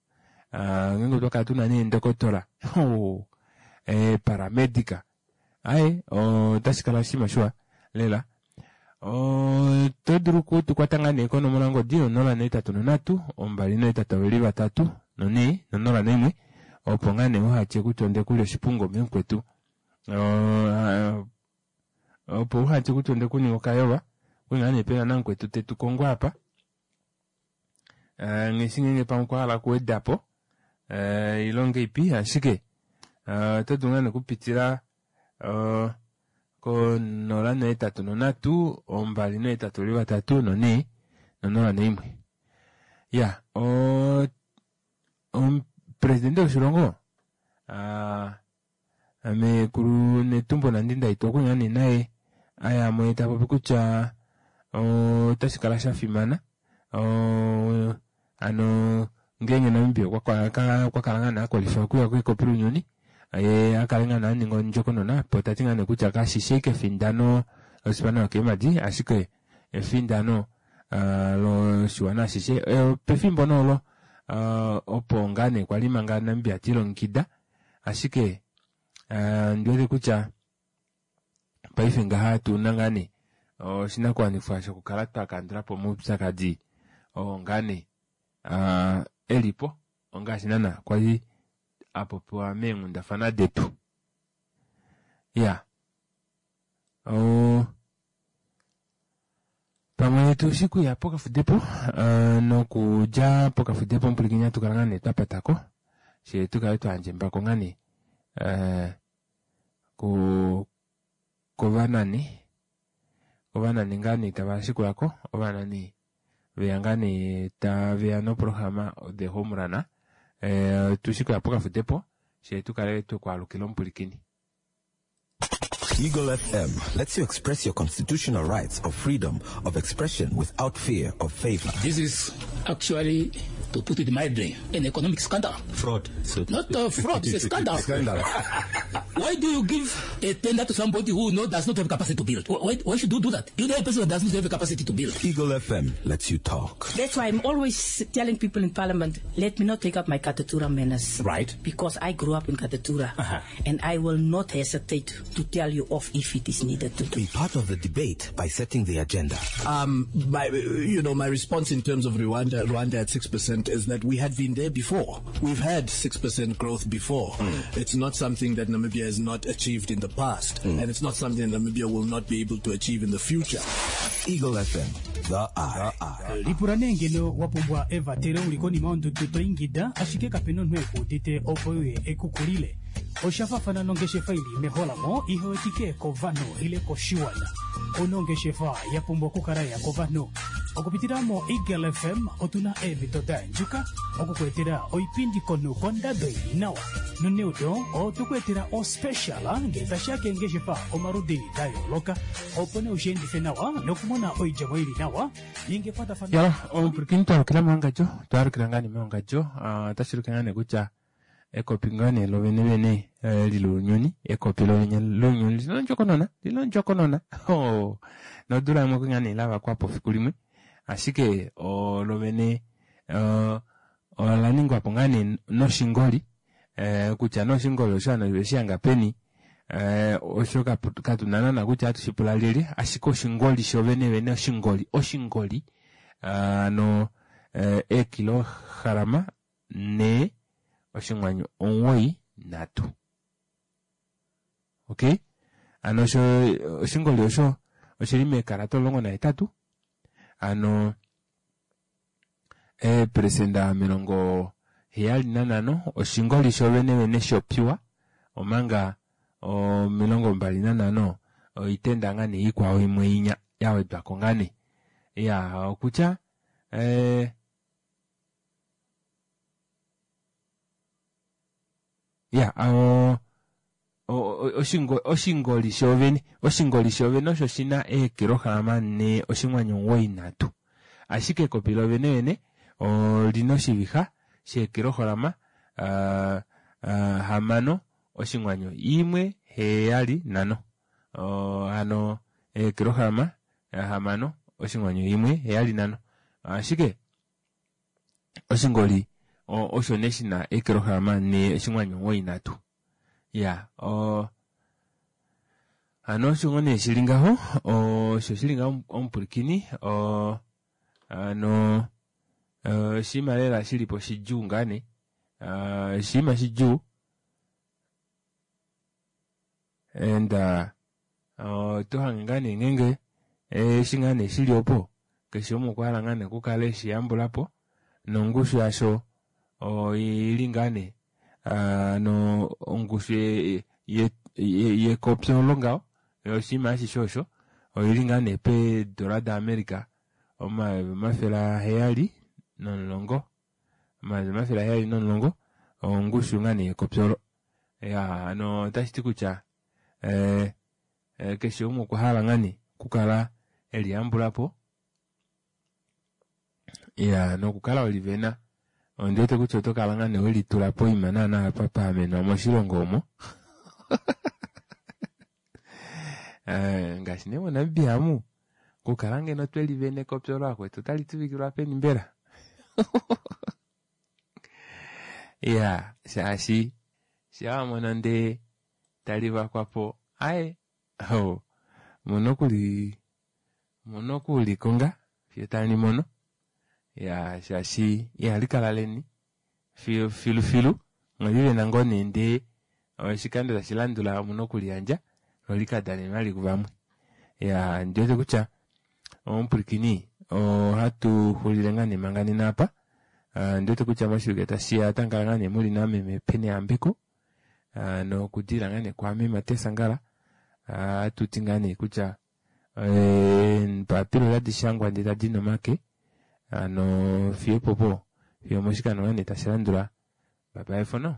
ngeenge otwa kala tuna neendokotola paramedica aye otashi kala oshinima shiwa lela. Oto dulu okutukwata ngaa nee konomola ngodi onola nohetatu nonhatu ombali nohetatu veli vatatu nonhee nonola naimwe, opo ngaa nee uhatye kutya ondekulya oshipungo memukwetu, opo uhatye kutya ondekuninga okayolwa. Okuli ngaa nee pena namukwetu tetu kongo apa ngheshi ngeenge pamwe okwa hala okuwedapo ilonga ipi, ashike oto dulu ngaa nee okupitila konola nohetatu nonhatu ombali nohetatu veli vatatu nonhee nonola naimwe. Ya, omupresidente woshilongo mekulu Netumbo Nandi-Ndaitwah okuli ngaa nee naye ayamwe tapopi kutya otashi kala sha fimana ano ngeenge Namibia okwa kala ngaa nee akwalify okuya kekopi lounyuni, ye akale ngaa nee aninga ondjokonona, po tati ngaa nee kutya kashishi ashike efindano losipana yokeemadi, ashike efindano loshiwana ashishe. Pefimbo noolo opo ngaa nee kwali manga Namibia tilongekida, ashike ndiwete kutya paife ngaha tuna ngaa nee oshinakuwanifwa shokukala twakandulapo omaupyakadi oo ngaa nee elipo ongaashi naana kwali apopiwa meenghundafana detu. Ya, pamwe tushi kuya pokafudepo nokudja pokafudepo omupulikini atukala ngaa nee twapatako she tukale twayandja embako ngaa nee kovanani ovanani ngaa nee tava shikulako, ovanani veya ngaa nee taveya noprograma The Home Run. Tushi kuya pokafudepo she tukale twekwaalukila omupulikini. Eagle F M lets you express your constitutional rights of freedom of expression without fear of favor. This is actually, to put it mildly, an economic scandal. Fraud. So Not a fraud, it's a scandal. Scandal. Why do you give a tender to somebody who no, does not have capacity to build? Why, why should you do that? You know a person who does not have the capacity to build. Eagle F M lets you talk. That's why I'm always telling people in Parliament, let me not take up my Katutura manners. Right. Because I grew up in Katutura. Uh-huh. And I will not hesitate to tell you off if it is needed to do. Be part of the debate by setting the agenda. Um, my, you know, my response in terms of Rwanda, Rwanda at six percent is that we had been there before. We've had six percent growth before. Mm. It's not something that Namibia has not achieved in the past, mm. and it's not something that Namibia will not be able to achieve in the future. Eagle F M, the eye. Lipula nee ngeno wapumbwa evatelo uli konima yondudu to ingida, ashike kapena omunhu ekuudite opo uye ekukulile. Oshafafana nongeshefa ili meholamo ihewetike kovanhu ile koshiwana. Onongeshefa ya pumbwa okukala ya kovanhu. Okupitila mo Eagle F M otuna eemhito da andjuka okukuetela oipindi komunhu kondado ili nawa. Noneudo otukuetela ospecial ngele tashiya keengeshefa omaludi da yooloka, opo nee ushiendife nawa nokumona oidjemo ili nawa ninge ekwatafano. Yala, omupulikini twalukila meongadjo, twalukila ngaa nee meongadjo, otashi ulike ngaa nee kutya ekopi ngaa nee lovene vene lilounyuni, ekopi lovene lounyuni lina ondjokonona, lina ondjokonona. Nodula imwe okuli ngaa nee lavakwapo fiku limwe, ashike lovene ola ningwapo ngaa nee noshingoli, kutya noshingoli osho hano oshihanga peni, osho katuna naana kutya hatu shipula lyelye, ashike oshingoli shovene vene, oshingoli, oshingoli ano eekilohalama nhee oshinghwanyu omuwoi nhatu. Okay? Ano osho oshingoli osho oshili meekalata omulongo nahetatu hano eeperesenda omilongo heyali nanhano oshingoli shovenevene shopiwa omanga omilongo mbali nanhano oitenda ngaa nee ikwao imwe inya yawedwako ngaa nee iya okutya eh, ya o- o- oshingo- oshingoli shoovene oshingoli shoovene osho shina eekilohalama nhee oshinghwanyu omugoyi nhatu ashike ekopi lovene vene olina oshivixa sheekilohalama ah, ah, hamano oshinghwanyu imwe heyali nhano Oh, hano eekilohalama hamano oshinghwanyu imwe heyali nhano ashike oshingoli o- osho nee shina eekilohalama nhee oshinghwanyu omugoyi nhatu ya o hano osho ngoo nee shili ngaho osho shili ngaho omupulikini o hano eh, oshinima lela shilipo shidjuu ngaa nee Ah, oshinima shidjuu and uh, oto hange ngaa nee ngeenge eshi ngaa nee shili opo keshe umwe okwa hala ngaa nee okukala eshi yambulapo nongushu yasho oili ngaa nee ah, no ongushu ye- ye- ye- yekopi olo ngaho oshinima ashishe osho oili ngaa nee peedola daAmerica omayovi omafele aheyali nomulongo omayovi omafele aheyali nomulongo ongushu ngaa nee yekopi olo ya hano otashiti kutya eh, eh, keshe umwe okwa hala ngaa nee okukala eliyambulapo ya nokukala welivena ondiwete kutya oto kala ngaa nee welitula poima naana apa paamenwa moshilongo omo Eh, ngaashi nee monamibia amu okukala ngeno twelivene ekopi olo akwetu otali tuvikilwa peni mbela ya shaashi shaawamono ndee tali vakwapo aye ho muna okuli muna okulikonga fiyo tali mono ya shaashi ihali kala leni filu filu filu mwelivena ngoo nee ndee oshikando tashi landula omuna okuliyandja lo likadane vali kuvamwe ya ndiwete kutya omupulikini ohatu xulile ngaa nee manga nena apa Ah, ndiwete kutya moshivike tashiya otamukala ngaa nee muli nameme Penny Ambeko Ah, nokudila ngaa nee kwaame Mateus Angala Ah, atuti ngaa nee kutya eh, eembapila otadi shangwa ndee tadi nomake hano fiyo popo fiyo moshikando ngaa nee tashi landula bye bye for now.